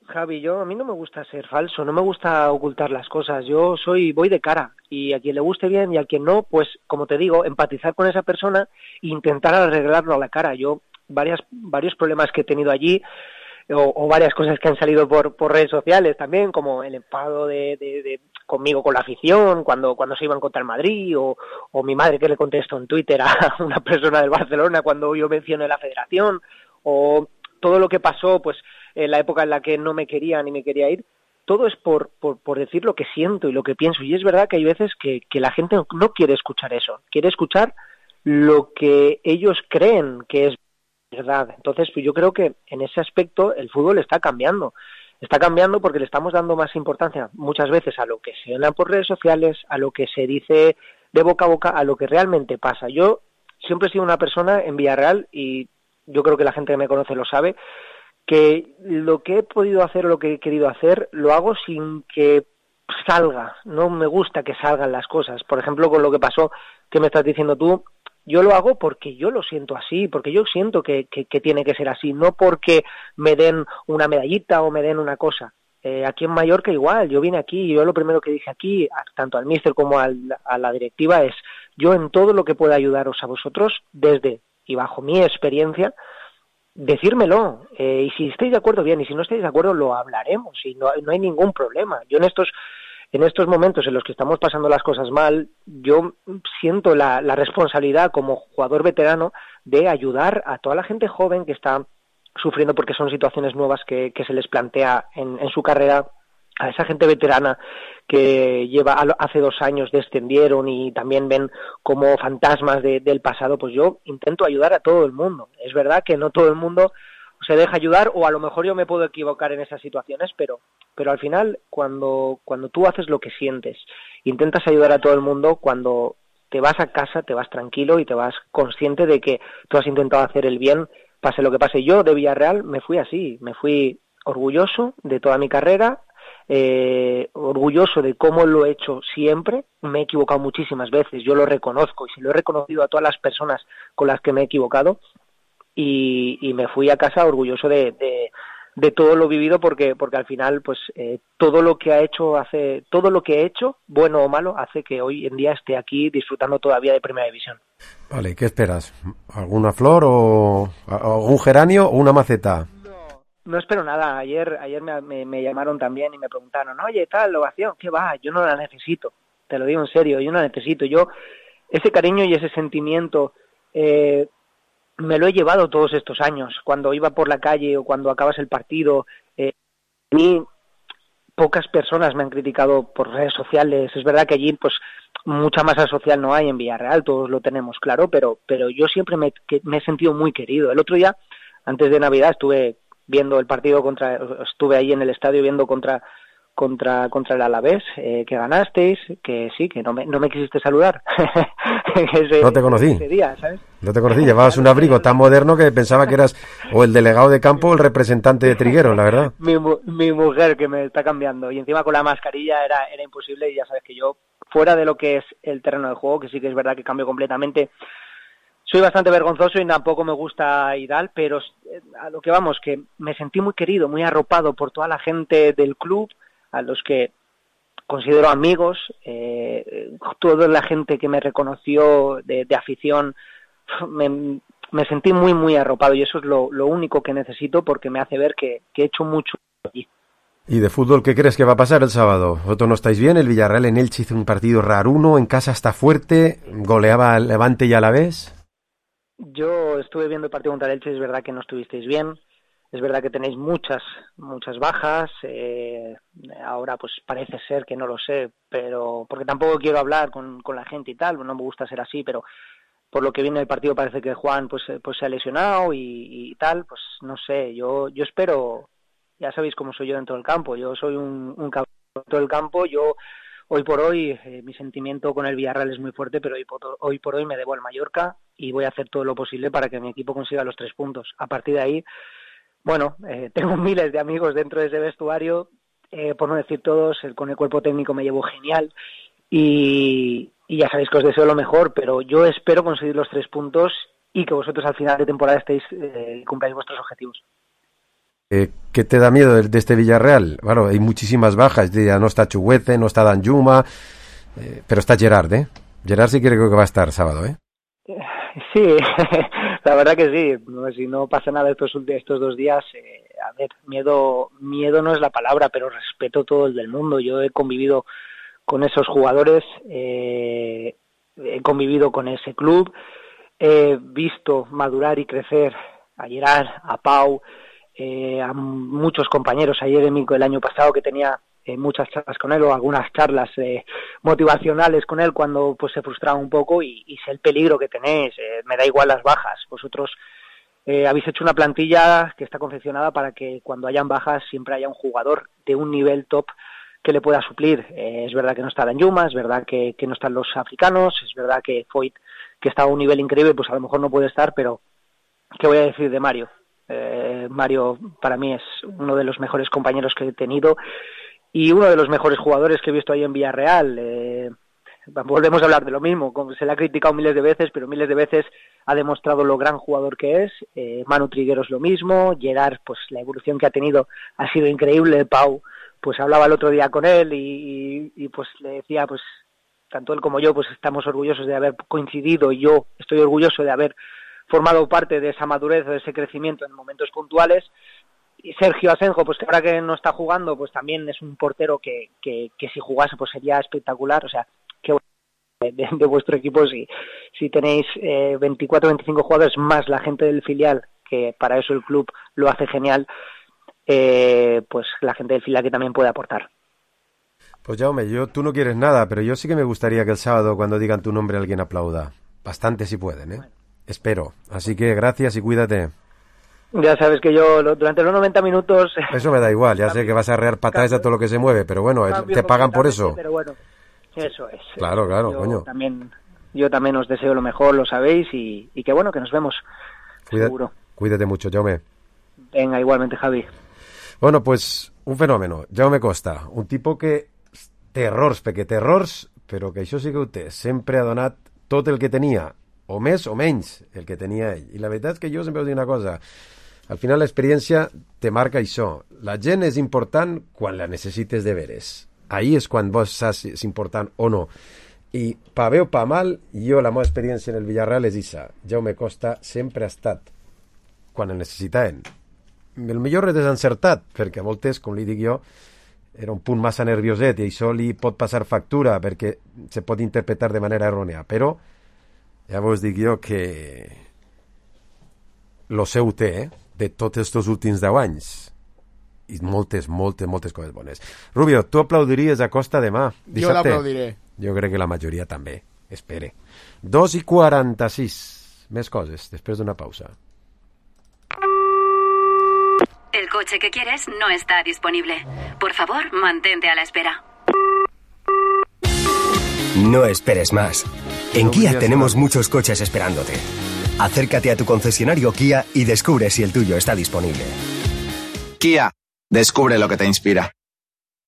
Javi, a mí no me gusta ser falso, no me gusta ocultar las cosas. Voy de cara, y a quien le guste bien y a quien no, pues, como te digo, empatizar con esa persona e intentar arreglarlo a la cara. Yo, varios problemas que he tenido allí, o varias cosas que han salido por redes sociales también, como el enfado de conmigo con la afición cuando se iban contra el Madrid, o mi madre que le contestó en Twitter a una persona del Barcelona cuando yo mencioné la federación, o todo lo que pasó pues en la época en la que no me quería ni me quería ir. Todo es por decir lo que siento y lo que pienso, y es verdad que hay veces que la gente no quiere escuchar eso, quiere escuchar lo que ellos creen que es verdad. Entonces, pues yo creo que en ese aspecto el fútbol está cambiando porque le estamos dando más importancia muchas veces a lo que se habla por redes sociales, a lo que se dice de boca a boca, a lo que realmente pasa. Yo siempre he sido una persona en Villarreal, y yo creo que la gente que me conoce lo sabe, que lo que he podido hacer o lo que he querido hacer lo hago sin que salga. No me gusta que salgan las cosas. Por ejemplo, con lo que pasó, que me estás diciendo tú, yo lo hago porque yo lo siento así, porque yo siento que tiene que ser así, no porque me den una medallita o me den una cosa. Aquí en Mallorca igual, yo vine aquí y yo lo primero que dije aquí, tanto al míster como a la directiva, es yo en todo lo que pueda ayudaros a vosotros, desde y bajo mi experiencia, decírmelo, y si estáis de acuerdo bien, y si no estáis de acuerdo lo hablaremos, y no hay ningún problema. Yo en estos momentos en los que estamos pasando las cosas mal, yo siento la responsabilidad como jugador veterano de ayudar a toda la gente joven que está sufriendo porque son situaciones nuevas que se les plantea en su carrera, a esa gente veterana que hace 2 años descendieron y también ven como fantasmas del pasado. Pues yo intento ayudar a todo el mundo. Es verdad que no todo el mundo se deja ayudar, o a lo mejor yo me puedo equivocar en esas situaciones, pero al final cuando tú haces lo que sientes, intentas ayudar a todo el mundo, cuando te vas a casa te vas tranquilo y te vas consciente de que tú has intentado hacer el bien, pase lo que pase. Yo de Villarreal me fui así, me fui orgulloso de toda mi carrera, orgulloso de cómo lo he hecho siempre. Me he equivocado muchísimas veces, yo lo reconozco, y se lo he reconocido a todas las personas con las que me he equivocado, y me fui a casa orgulloso de todo lo vivido, porque al final pues todo lo que he hecho, bueno o malo, hace que hoy en día esté aquí disfrutando todavía de Primera División. Vale, ¿qué esperas? ¿Alguna flor o algún geranio o una maceta? No espero nada. Ayer me llamaron también y me preguntaron, oye, tal ovación, ¿qué va? Yo no la necesito, te lo digo en serio, yo no la necesito. Yo ese cariño y ese sentimiento me lo he llevado todos estos años. Cuando iba por la calle o cuando acabas el partido, a mí pocas personas me han criticado por redes sociales. Es verdad que allí pues mucha masa social no hay en Villarreal, todos lo tenemos claro, pero yo siempre me he sentido muy querido. El otro día, antes de Navidad, estuve viendo el partido estuve ahí en el estadio viendo contra el Alavés, que ganasteis, que sí, que no me quisiste saludar. No te conocí. Ese día, ¿sabes? No te conocí, llevabas un abrigo tan moderno que pensaba que eras o el delegado de campo o el representante de Trigueros, la verdad. Mi mujer, que me está cambiando, y encima con la mascarilla era imposible, y ya sabes que yo, fuera de lo que es el terreno de juego, que sí que es verdad que cambio completamente, soy bastante vergonzoso y tampoco me gusta y tal, pero a lo que vamos, que me sentí muy querido, muy arropado por toda la gente del club, a los que considero amigos, toda la gente que me reconoció de afición, me sentí muy, muy arropado, y eso es lo único que necesito, porque me hace ver que he hecho mucho allí. ¿Y de fútbol qué crees que va a pasar el sábado? ¿Vosotros no estáis bien? El Villarreal en Elche hizo un partido raruno, en casa está fuerte, goleaba al Levante y Alavés. Yo estuve viendo el partido contra el Elche, es verdad que no estuvisteis bien, es verdad que tenéis muchas bajas, ahora pues parece ser que no lo sé, pero porque tampoco quiero hablar con la gente y tal, no me gusta ser así, pero por lo que viene del partido parece que Juan pues se ha lesionado y tal, pues no sé, yo espero, ya sabéis cómo soy yo dentro del campo, yo soy un cabrón dentro del campo, yo hoy por hoy mi sentimiento con el Villarreal es muy fuerte, pero hoy por hoy me debo al Mallorca y voy a hacer todo lo posible para que mi equipo consiga los 3 puntos. A partir de ahí Bueno, tengo miles de amigos dentro de ese vestuario, por no decir todos, con el cuerpo técnico me llevo genial y ya sabéis que os deseo lo mejor, pero yo espero conseguir los 3 puntos y que vosotros al final de temporada cumpláis vuestros objetivos. ¿Qué te da miedo de este Villarreal? Bueno, hay muchísimas bajas, ya no está Chuguete, no está Danjuma, pero está Gerard, ¿eh? Gerard sí creo que va a estar sábado, ¿eh? Sí, la verdad que sí. Si no pasa nada estos 2 días, a ver, miedo no es la palabra, pero respeto todo el del mundo. Yo he convivido con esos jugadores, he convivido con ese club, he visto madurar y crecer a Gerard, a Pau, a muchos compañeros, a Jeremy el año pasado que tenía muchas charlas con él o algunas charlas motivacionales con él cuando pues se frustraba un poco y sé el peligro que tenéis, me da igual las bajas, vosotros habéis hecho una plantilla que está confeccionada para que cuando hayan bajas siempre haya un jugador de un nivel top que le pueda suplir. Es verdad que no está Danjuma, es verdad que no están los africanos, es verdad que Foyt, que está a un nivel increíble, pues a lo mejor no puede estar, pero ¿qué voy a decir de Mario? Mario para mí es uno de los mejores compañeros que he tenido y uno de los mejores jugadores que he visto ahí en Villarreal. Volvemos a hablar de lo mismo, se le ha criticado miles de veces, pero miles de veces ha demostrado lo gran jugador que es. Manu Trigueros lo mismo, Gerard, pues la evolución que ha tenido ha sido increíble. Pau, pues hablaba el otro día con él y pues le decía, pues tanto él como yo pues estamos orgullosos de haber coincidido y yo estoy orgulloso de haber formado parte de esa madurez, de ese crecimiento en momentos puntuales. Y Sergio Asenjo, pues que ahora que no está jugando, pues también es un portero que si jugase pues sería espectacular. O sea, que de vuestro equipo si tenéis 24 o 25 jugadores más la gente del filial, que para eso el club lo hace genial, pues la gente del filial que también puede aportar. Pues Jaume, tú no quieres nada, pero yo sí que me gustaría que el sábado cuando digan tu nombre alguien aplauda. Bastante si pueden, ¿eh? Bueno. Espero. Así que gracias y cuídate. Ya sabes que yo durante los 90 minutos... Eso me da igual, ya sé que vas a arrear patadas a todo lo que se mueve, pero bueno, te pagan por eso. Pero bueno, eso es. Claro, coño. Yo también os deseo lo mejor, lo sabéis, y que bueno, que nos vemos. Seguro. Cuídate mucho, Jaume. Venga, igualmente, Javi. Bueno, pues un fenómeno, Jaume Costa, un tipo que terrors, però que això sí que ho té, sempre ha donat tot el que tenia, o més o menys el que tenia ell. I la veritat és que jo sempre us dic una cosa, al final l'experiència te marca això. La gent és important quan la necessites de veres. Ahí és quan vos saps si és important o no. I pa bé o pa mal, jo la meva experiència en el Villarreal és això. Jaume Costa sempre ha estat quan el necessitaven. El millor és desencertat, perquè a voltes, com li dic jo, era un punt massa nervioset i això li pot passar factura perquè se pot interpretar de manera errònia, però ja vos dic jo que lo seu té, de tots estos últims 10 anys i moltes coses bones. Rubio, tu aplaudiries a Costa demà? Dissabte? Jo l'aplaudiré. Jo crec que la majoria també. Espere. 2:46. Més coses, després d'una pausa. El coche que quieres no está disponible. Por favor, mantente a la espera. No esperes más. En Kia tenemos muchos coches esperándote. Acércate a tu concesionario Kia y descubre si el tuyo está disponible. Kia, descubre lo que te inspira.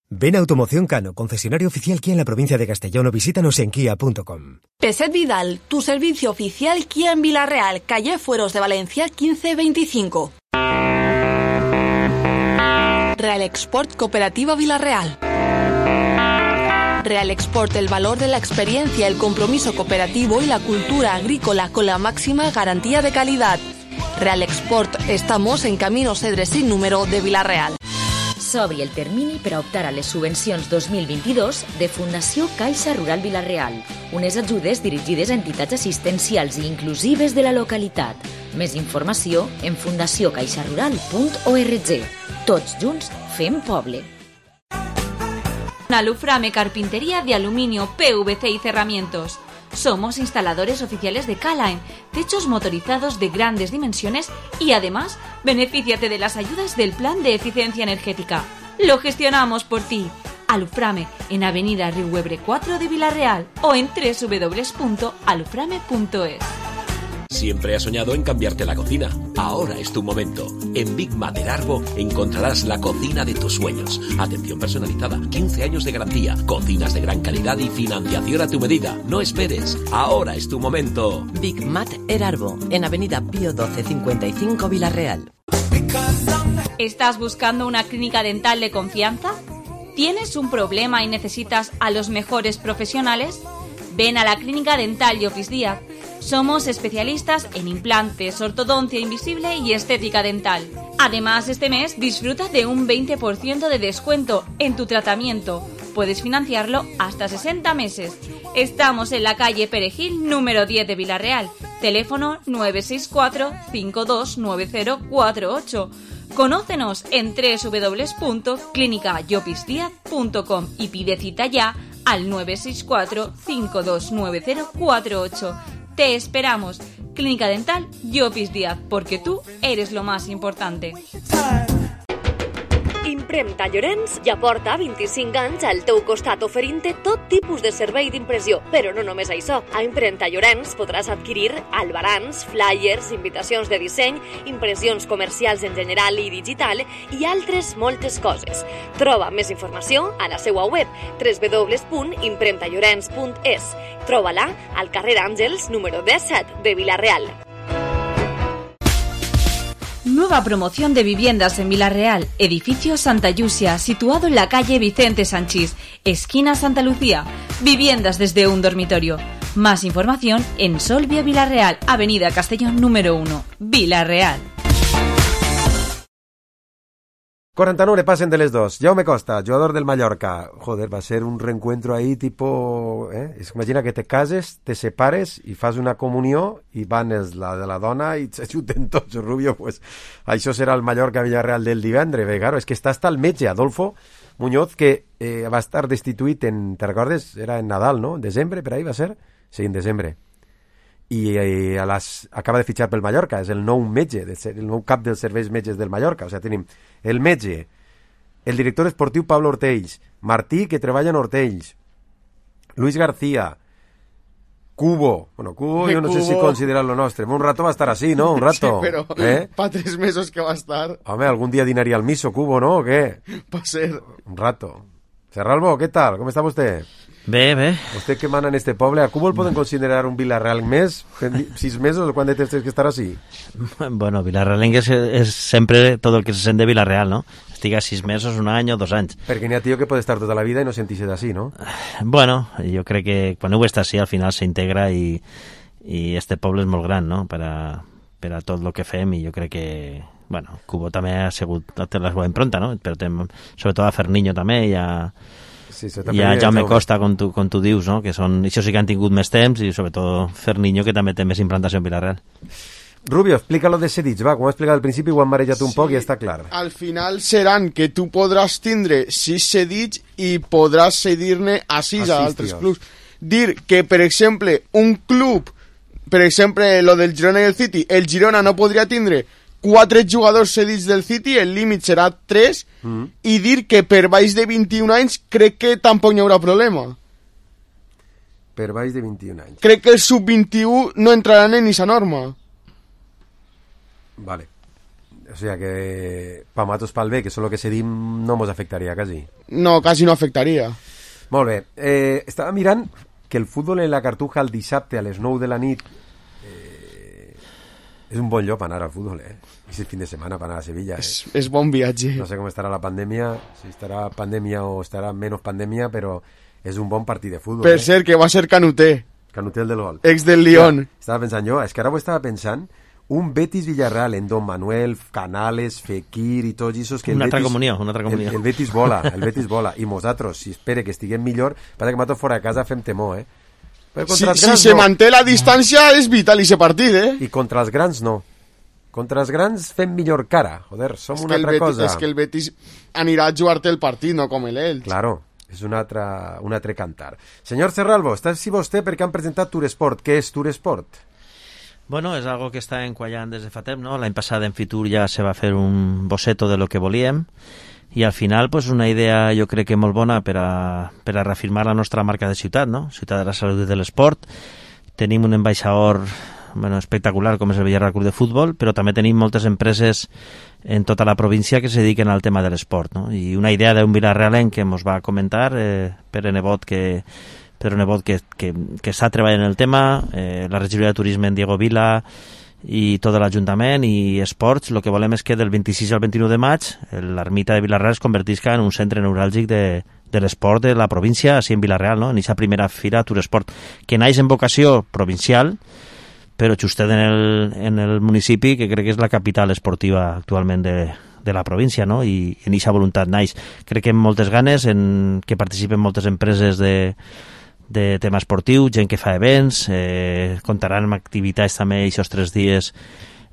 Ven a Automoción Cano, concesionario oficial Kia en la provincia de Castellón, o visítanos en kia.com. Peset Vidal, tu servicio oficial Kia en Villarreal, calle Fueros de Valencia 1525. Real Export Cooperativa Villarreal. Real Export, el valor de la experiencia, el compromiso cooperativo y la cultura agrícola con la máxima garantía de calidad. Real Export, estamos en Camino Cedre sin número de Villarreal. S'obri el termini per a optar a les subvencions 2022 de Fundació Caixa Rural Villarreal, unes ajudes dirigides a entitats assistencials i inclusives de la localitat. Més informació en fundaciocaixarural.org. Tots junts fem poble. Aluframe Carpintería de Aluminio, PVC y Cerramientos. Somos instaladores oficiales de K-Line, techos motorizados de grandes dimensiones y además benefíciate de las ayudas del Plan de Eficiencia Energética. Lo gestionamos por ti. Aluframe en Avenida Riuebre 4 de Villarreal o en www.aluframe.es. Siempre has soñado en cambiarte la cocina. Ahora es tu momento. En Big Mater Arbo encontrarás la cocina de tus sueños. Atención personalizada, 15 años de garantía, cocinas de gran calidad y financiación a tu medida. No esperes. Ahora es tu momento. Big Mater Arbo, en Avenida Pío 12 55 Villarreal. ¿Estás buscando una clínica dental de confianza? ¿Tienes un problema y necesitas a los mejores profesionales? Ven a la Clínica Dental Llopis Díaz. Somos especialistas en implantes, ortodoncia invisible y estética dental. Además, este mes disfruta de un 20% de descuento en tu tratamiento. Puedes financiarlo hasta 60 meses. Estamos en la calle Perejil, número 10 de Villarreal. Teléfono 964-529048. Conócenos en www.clinicallopisdiaz.com y pide cita ya al 964-529048. Te esperamos. Clínica Dental Llopis Díaz, porque tú eres lo más importante. Impremta Llorenç ja porta 25 anys al teu costat oferint-te tot tipus de servei d'impressió. Però no només això. A Impremta Llorenç podràs adquirir albarans, flyers, invitacions de disseny, impressions comercials en general i digital i altres moltes coses. Troba més informació a la seva web www.impremtallorens.es. Troba-la al carrer Àngels, número 17 de Villarreal. Nueva promoción de viviendas en Villarreal, edificio Santa Llucia, situado en la calle Vicente Sanchís, esquina Santa Lucía. Viviendas desde un dormitorio. Más información en Solvia Villarreal, avenida Castellón número 1, Villarreal. 49 pasen de les 2. Jaume Costa, jugador del Mallorca. Joder, va a ser un reencuentro ahí tipo... Imagina que te cases, te separes i fas una comunió i van la de la dona i s'ajunten tots, Rubio. Pues això serà el Mallorca-Villarreal del divendres. Claro, és que està hasta el metge, Adolfo Muñoz, que va estar destituït en... Te recordes? Era en Nadal, no? En desembre, per ahí va ser? Sí, en desembre. I acaba de fitxar pel Mallorca, és el nou metge, el nou cap dels serveis metges del Mallorca. O sigui, tenim el metge, el director esportiu Pablo Ortells, Martí, que treballa en Ortells, Luis García, Cubo. Bueno, Cubo yo no sé si considerar lo nostre. Un rato va a estar así, ¿no? Un rato. Sí, pero para 3 meses que va a estar. Home, algún día dinaría al miso, Cubo, ¿no? ¿O qué? Va a ser. Un rato. Serralbo, ¿qué tal? ¿Cómo está usted? Bé. Usted que mana en este poble, ¿a Cubo el poden considerar un Villarreal més? 6 mesos o quan de temps tens que estar así? Bueno, Villarrealengue és sempre tot el que se sent de Villarreal, ¿no? Estiga 6 mesos, 1 any o 2 anys. Perquè n'hi ha tio que pot estar tota la vida i no sentir-se d'ací, ¿no? Bueno, jo crec que quan ho està així al final s'integra i este poble és molt gran, no? Per a tot el que fem, i jo crec que bueno, Cubo també ha sigut la seva impronta, no? Però sobretot a Ferniño també i a Jaume Costa, com tu dius, no? Que són, això sí que han tingut més temps, i sobretot Ferniño, que també té més implantació en Villarreal. Rubio, explícalo de cedits, va, com ho he explicat al principi, ho han marejat un poc i està clar. Al final seran que tu podràs tindre 6 cedits i podràs cedir-ne a 6 a altres clubs. Dir que, per exemple, un club, per exemple, lo del Girona i el City, el Girona no podria tindre 4 jugadors cedits del City, el límit serà 3, i dir que per baix de 21 anys crec que tampoc hi haurà problema. Per baix de 21 anys. Crec que els sub-21 no entraran en esa norma. Vale. O sea que pa matos pal bé, que solo que cedim no mos afectaria quasi. No, quasi no afectaria. Molt bé. Estava mirant que el futbol en la Cartuja el dissabte a les 9 de la nit és un bon lloc per anar al futbol, I si el fin de setmana per anar a Sevilla, És bon viatge. No sé com estarà la pandèmia, si estarà pandèmia o estarà menys pandèmia, però és un bon partit de futbol. Per cert, que va ser Canuté. Canuté, el del gol. Ex del Lyon. Estava pensant jo, és que ara ho estava pensant, un Betis-Villarreal en Don Manuel, Canales, Fekir i tots aquests que una altra comunió. El Betis vola, i nosaltres, si espere que estiguem millor, passa que nosaltres fora de casa fem temor, Si se manté la distància és vital aquest partit, I contra els grans no. Contra els grans fem millor cara. Joder, som una altra cosa. És que el Betis anirà a jugar-te el partit, no com l'Elx. Claro, és un altre cantar. Senyor Serralbo, està així vostè perquè han presentat Turesport. Què és Turesport? Bueno, és algo que està enquallant des de fa temps, no? L'any passat en Fitur ja se va fer un boceto de lo que volíem, i al final pues, una idea jo crec que molt bona per a reafirmar la nostra marca de ciutat, no? Ciutat de la salut i de l'esport. Tenim un ambaixador espectacular com és el Villarreal Club de Futbol, però també tenim moltes empreses en tota la província que se dediquen al tema de l'esport, no? I una idea d'un vilarrealenc que ens va comentar Pere Nebot, que està treballant en el tema, la regidoria de turisme en Diego Vila i tot l'Ajuntament i esports. El que volem és que del 26 al 29 de maig l'ermita de Vilarreal es convertisca en un centre neuràlgic de l'esport de la província, així en Vilarreal, no? En aquesta primera fira Turesport, que naix en vocació provincial, però justet en el municipi, que crec que és la capital esportiva actualment de la província, no? I en aquesta voluntat naix. Crec que amb moltes ganes, que participen moltes empreses de tema esportiu, gent que fa events, comptaran amb activitats també aquests 3 dies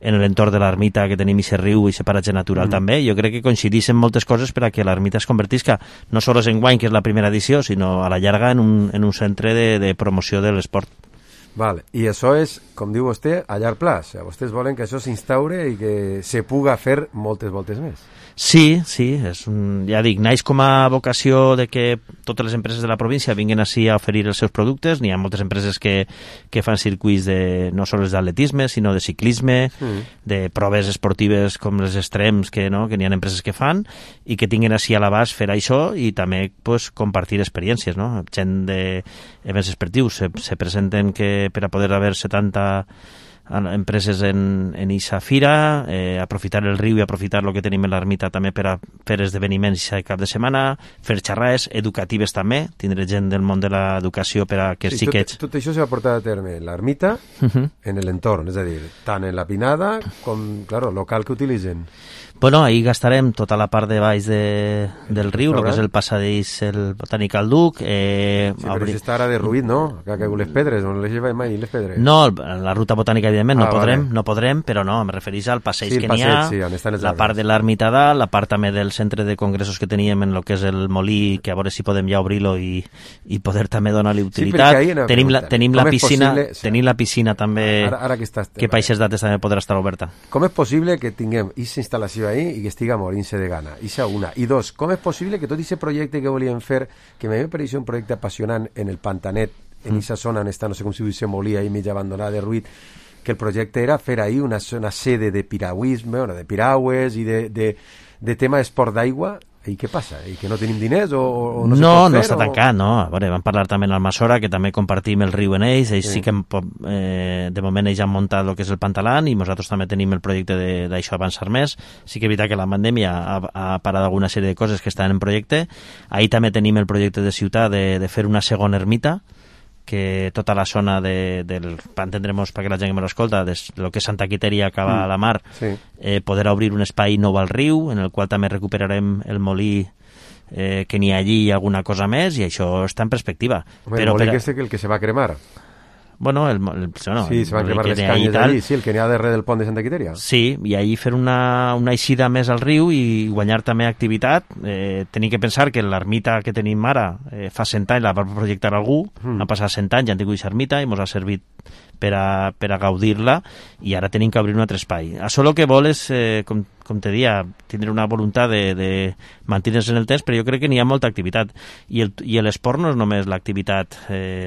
en l'entorn de l'ermita, que tenim aquest riu i aquest paratge natural també. Jo crec que coincideixen moltes coses per a que l'ermita es convertisca no sols en guany, que és la primera edició, sinó a la llarga en un centre de promoció de l'esport. Vale. I això és, com diu vostè, a llarg plaç. O sigui, vostès volen que això s'instaure i que se puga fer moltes voltes més. Sí, ja dic, naix com a vocació de que totes les empreses de la província vinguin així a oferir els seus productes. N'hi ha moltes empreses que fan circuits no sols d'atletisme, sinó de ciclisme, de proves esportives com les extrems, que n'hi ha empreses que fan, i que tinguin així a l'abast fer això i també compartir experiències, no? Gent d'events esportius se presenten que per a poder haver 70 empreses en eixa fira, aprofitar el riu i aprofitar el que tenim en l'ermita també per a fer esdeveniments aquest cap de setmana, fer xerrades educatives també, tindre gent del món de l'educació per a que els xiquets... Tot això s'ha portat a terme en l'ermita, en l'entorn, és a dir, tant en la pinada com, claro, local que utilitzen. Bueno, ahí gastarem tota la part de baix del riu, el que és el passadís, el Botànic al Duc. Sí, però això està ara derruït, no? Que ha caigut les pedres, on les lleva mai les pedres. No, la ruta botànica, evidentment, no podrem, però no, em refereix al passeig que n'hi ha, la part de l'ermita dalt, la part també del centre de congressos que teníem en el que és el molí, que a veure si podem ja obrir-lo i poder també donar-li utilitat. Tenim la piscina també, que per aquestes dates també podrà estar oberta. Com és possible que tinguem aquesta instal·lació ahí i que estiga morint-se de gana? Ixa una. I dos, com és possible que tot aquest projecte que volíem fer, que m'ha pareixit un projecte apassionant en el Pantanet, en aquesta zona on està, no sé com si se molia ahí mig abandonada, derruït, que el projecte era fer ahí una sede de piragüisme, de piragües i de tema d'esport d'aigua. I què passa? I que no tenim diners o no se pot fer? No està tancat, no. A veure, vam parlar també en Almassora, que també compartim el riu en ells sí que de moment ells han muntat el que és el Pantalan i nosaltres també tenim el projecte d'això avançar més. Sí que és veritat que la pandèmia ha parat alguna sèrie de coses que estan en projecte. Ahí també tenim el projecte de ciutat de fer una segona ermita, que tota la zona entendremos perquè la gent que me l'escolta, del que és Santa Quiteria acaba a la mar, poder obrir un espai nou al riu, en el qual també recuperarem el molí que n'hi ha allí i alguna cosa més, i això està en perspectiva. El molí que és el que se va cremar. Bueno, sí, se van cremar les canyes d'allí, sí, el que n'hi ha darrere del pont de Santa Quiteria. Sí, i ahí fer una eixida més al riu i guanyar també activitat. Tenim que pensar que l'ermita que tenim ara fa 100 anys la va projectar algú, han passat 100 anys, ja han tingut aquesta ermita i ens ha servit per a gaudir-la, i ara tenim que obrir un altre espai. Això el que vol és, com te dia, tindre una voluntat de mantenir-se en el temps, però jo crec que n'hi ha molta activitat, i l'esport no és només l'activitat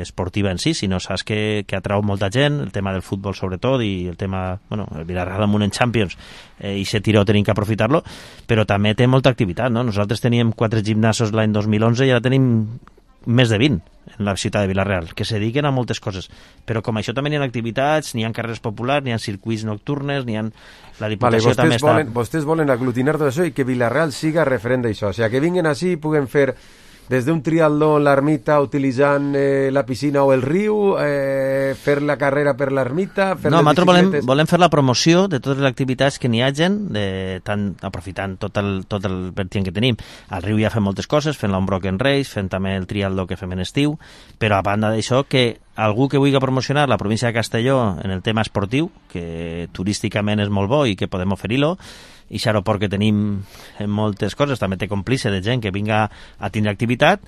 esportiva en si, sinó saps que atrau molta gent, el tema del futbol sobretot, i el tema, el Villarreal Amunt en Champions, i se tiró, tenim que aprofitar-lo, però també té molta activitat, no? Nosaltres teníem 4 gimnasos l'any 2011 i ara tenim més de 20 en la ciutat de Vilarreal, que se dediquen a moltes coses, però com això també n'hi ha activitats, n'hi ha carrers populars, n'hi ha circuits nocturnes, n'hi ha... La Diputació també està... Vostès volen aglutinar tot això i que Vilarreal siga referent d'això, o sigui, que vinguin així i puguen fer des d'un triatló en l'ermita utilitzant la piscina o el riu, fer la carrera per l'ermita... No, nosaltres volem fer la promoció de totes les activitats que n'hi hagin, aprofitant tot el vertient que tenim. Al riu ja fem moltes coses, fent l'Unbroken Race, fent també el triatló que fem en estiu, però a banda d'això, que algú que vulgui promocionar la província de Castelló en el tema esportiu, que turísticament és molt bo i que podem oferir-lo, i aquest aeroport que tenim en moltes coses també té còmplice de gent que vinga a tindre activitat,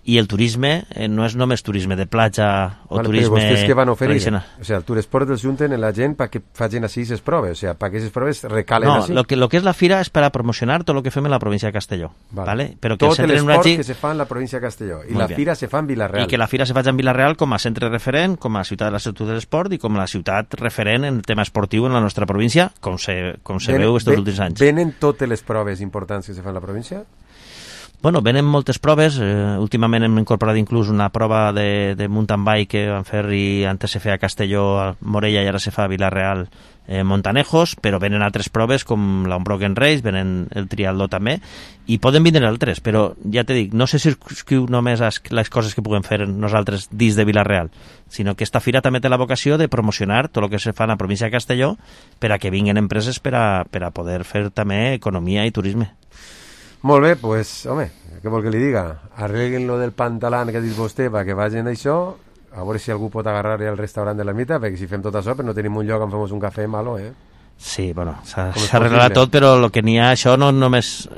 i el turisme no és només turisme de platja o turisme però vostès què van oferir? tradicional. O sigui, el Turesport els junten en la gent perquè facin així les proves, o sigui, perquè aquestes proves recalen així. No, lo que és la fira és per a promocionar tot el que fem en la província de Castelló. ¿vale? Però que tot l'esport que se fa en la província de Castelló. I la fira se fa en Vila-real. I que la fira se faci en Vila-real com a centre referent, com a ciutat de la ciutat de l'esport i com la ciutat referent en el tema esportiu en la nostra província, com se veu aquests últims anys. Venen totes les proves importants que se fan a la província? Bueno, venen moltes proves. Últimament hem incorporat inclús una prova de mountain bike que van fer i antes se feia a Castelló, a Morella, i ara se fa a Vila-real, Montanejos, però venen altres proves com l'Unbroken Race, venen el triatló també, i poden vindre altres, però ja te dic, no se circunscriu només a les coses que puguem fer nosaltres dins de Vila-real, sinó que esta fira també té la vocació de promocionar tot el que se fa en la província de Castelló per a que vinguin empreses per a poder fer també economia i turisme. Molt bé, pues, home, què vol que li diga? Arreguen lo del pantalán que ha dit vostè perquè vagin això, a veure si algú pot agarrar el restaurant de la Mita, perquè si fem tot això, però no tenim un lloc on fem un cafè malo, Sí, bueno, s'ha arreglat tot, però el que n'hi ha, això no només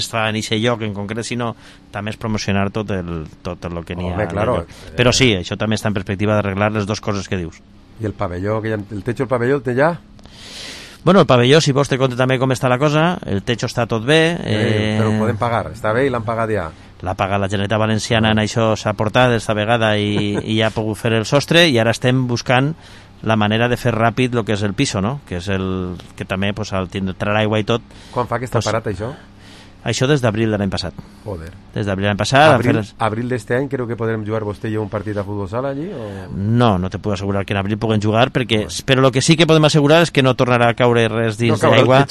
està en aquest lloc en concret, sinó també és promocionar tot el que n'hi ha. Claro. Però sí, això també està en perspectiva d'arreglar les dues coses que dius. I el pavelló, el techo del pavelló el té ja? Bueno, el pavelló, si vols te conte també com està la cosa, el techo està tot bé. Però ho podem pagar, està bé i l'han pagat ja. L'ha pagat la Generalitat Valenciana, en això s'ha portat esta vegada i ja ha pogut fer el sostre, i ara estem buscant la manera de fer ràpid el que és el piso, no? Que és el que també, pues, al tindre aigua i tot... Quan fa que està parat això? Això des d'abril de l'any passat. Joder. Des d'abril de l'any passat... Abril d'este any creu que podrem jugar vostè i jo un partit de futbol sala allí? O... No te puc assegurar que en abril puguem jugar, però el que sí que podem assegurar és que no tornarà a caure res dins d'aigua.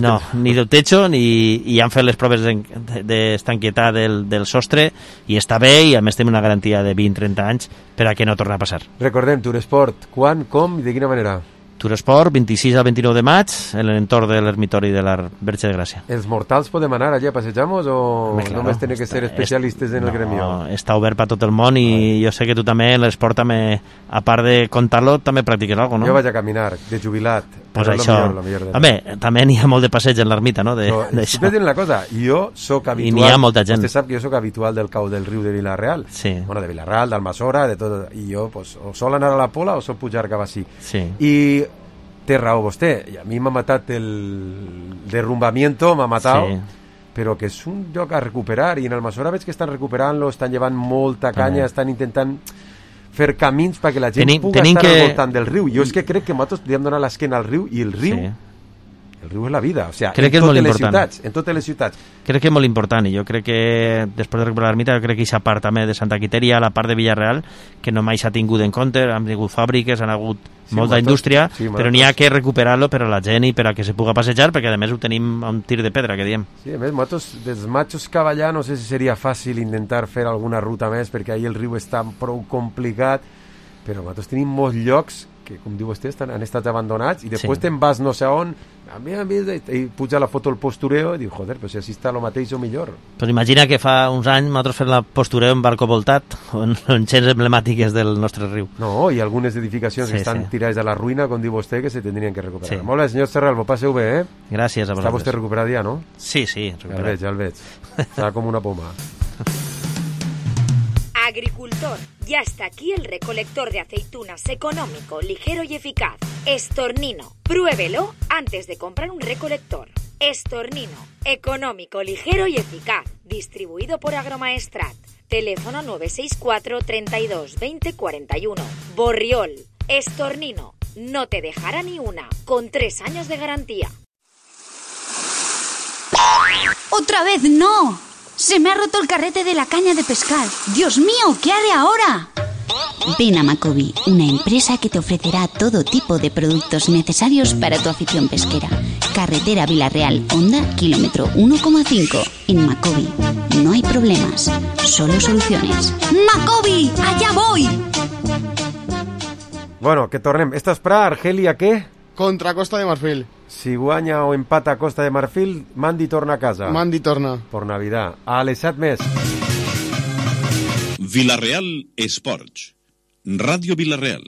No, ni del techo, i han fet les proves d'estanquietat del sostre, i està bé, i a més tenim una garantia de 20-30 anys per a que no torni a passar. Recordem, Turesport, quan, com i de quina manera? Turesport, 26 al 29 de maig, en l'entorn de l'ermitori de la Verge de Gràcia. ¿Els mortals podem anar allà a passejamos o només tenen que ser especialistes en el gremio? No, està obert per tot el món, i jo sé que tu també, l'esport també, a part de contar-lo, també practiques alguna cosa, no? Jo vaig a caminar, de jubilat. Pues això, home, també n'hi ha molt de passeig en l'ermita, no? Sempre tenen la cosa, jo soc habitual... I n'hi ha molta gent. Vostè sap que jo soc habitual del cau del riu de Vila-real. Sí. Bueno, de Vila-real, d'Almassora, de tot. I jo, pues, o sol anar a la Pola o sol pujar cap així. Sí. I té raó vostè, i a mi m'ha matat el derrumbamiento, m'ha matat, sí. Però que és un lloc a recuperar, i en Almassora veig que estan recuperant-lo, estan llevant molta canya, estan intentant fer camins perquè la gent pugui estar al voltant del riu. Jo és que crec que nosaltres podríem donar l'esquena al riu, i el riu... Sí. El riu és la vida, o sigui, en totes les ciutats. Crec que és molt important, i jo crec que després de recuperar l'ermita, jo crec que aquesta part també de Santa Quiteria, la part de Villarreal, que no mai s'ha tingut en compte, han tingut fàbriques, han hagut molta indústria, però n'hi ha que recuperar-lo per a la gent i per a que se puga passejar, perquè a més ho tenim a un tir de pedra, que diem. Sí, a més, nosaltres, dels Machos Cavallà, no sé si seria fàcil intentar fer alguna ruta més, perquè ahir el riu està prou complicat, però nosaltres tenim molts llocs que, com diu vostè, han estat abandonats, i després te'n vas no sé on, i puja la foto al postureo i diu, joder, però si així està el mateix o millor. Però imagina que fa uns anys nosaltres fem la postureo en barco voltat, en xents emblemàtiques del nostre riu. No, i algunes edificacions que estan tirades a la ruïna, com diu vostè, que se tindrien que recuperar. Molt bé, senyor Serralvo, passeu bé, Gràcies a vosaltres. Està vostè recuperat ja, no? Sí, recuperat. Ja el veig. Està com una poma. Agricultor, ya está aquí el recolector de aceitunas económico, ligero y eficaz. Estornino. Pruébelo antes de comprar un recolector. Estornino. Económico, ligero y eficaz. Distribuido por Agromaestrat. Teléfono 964 32 20 41. Borriol. Estornino. No te dejará ni una. Con 3 años de garantía. ¡Otra vez no! ¡Se me ha roto el carrete de la caña de pescar! ¡Dios mío! ¿Qué haré ahora? Ven a Macobi, una empresa que te ofrecerá todo tipo de productos necesarios para tu afición pesquera. Carretera Vila-real, Honda, kilómetro 1,5. En Macobi no hay problemas, solo soluciones. ¡Macobi! ¡Allá voy! Bueno, que tornem. Esta esprà, Argelia, què? Contra Costa de Marfil. Si guanya o empata Costa de Marfil, Mandi torna a casa. Mandi torna. Por Navidad. A les 7 més. Vila-real Esports. Ràdio Vila-real.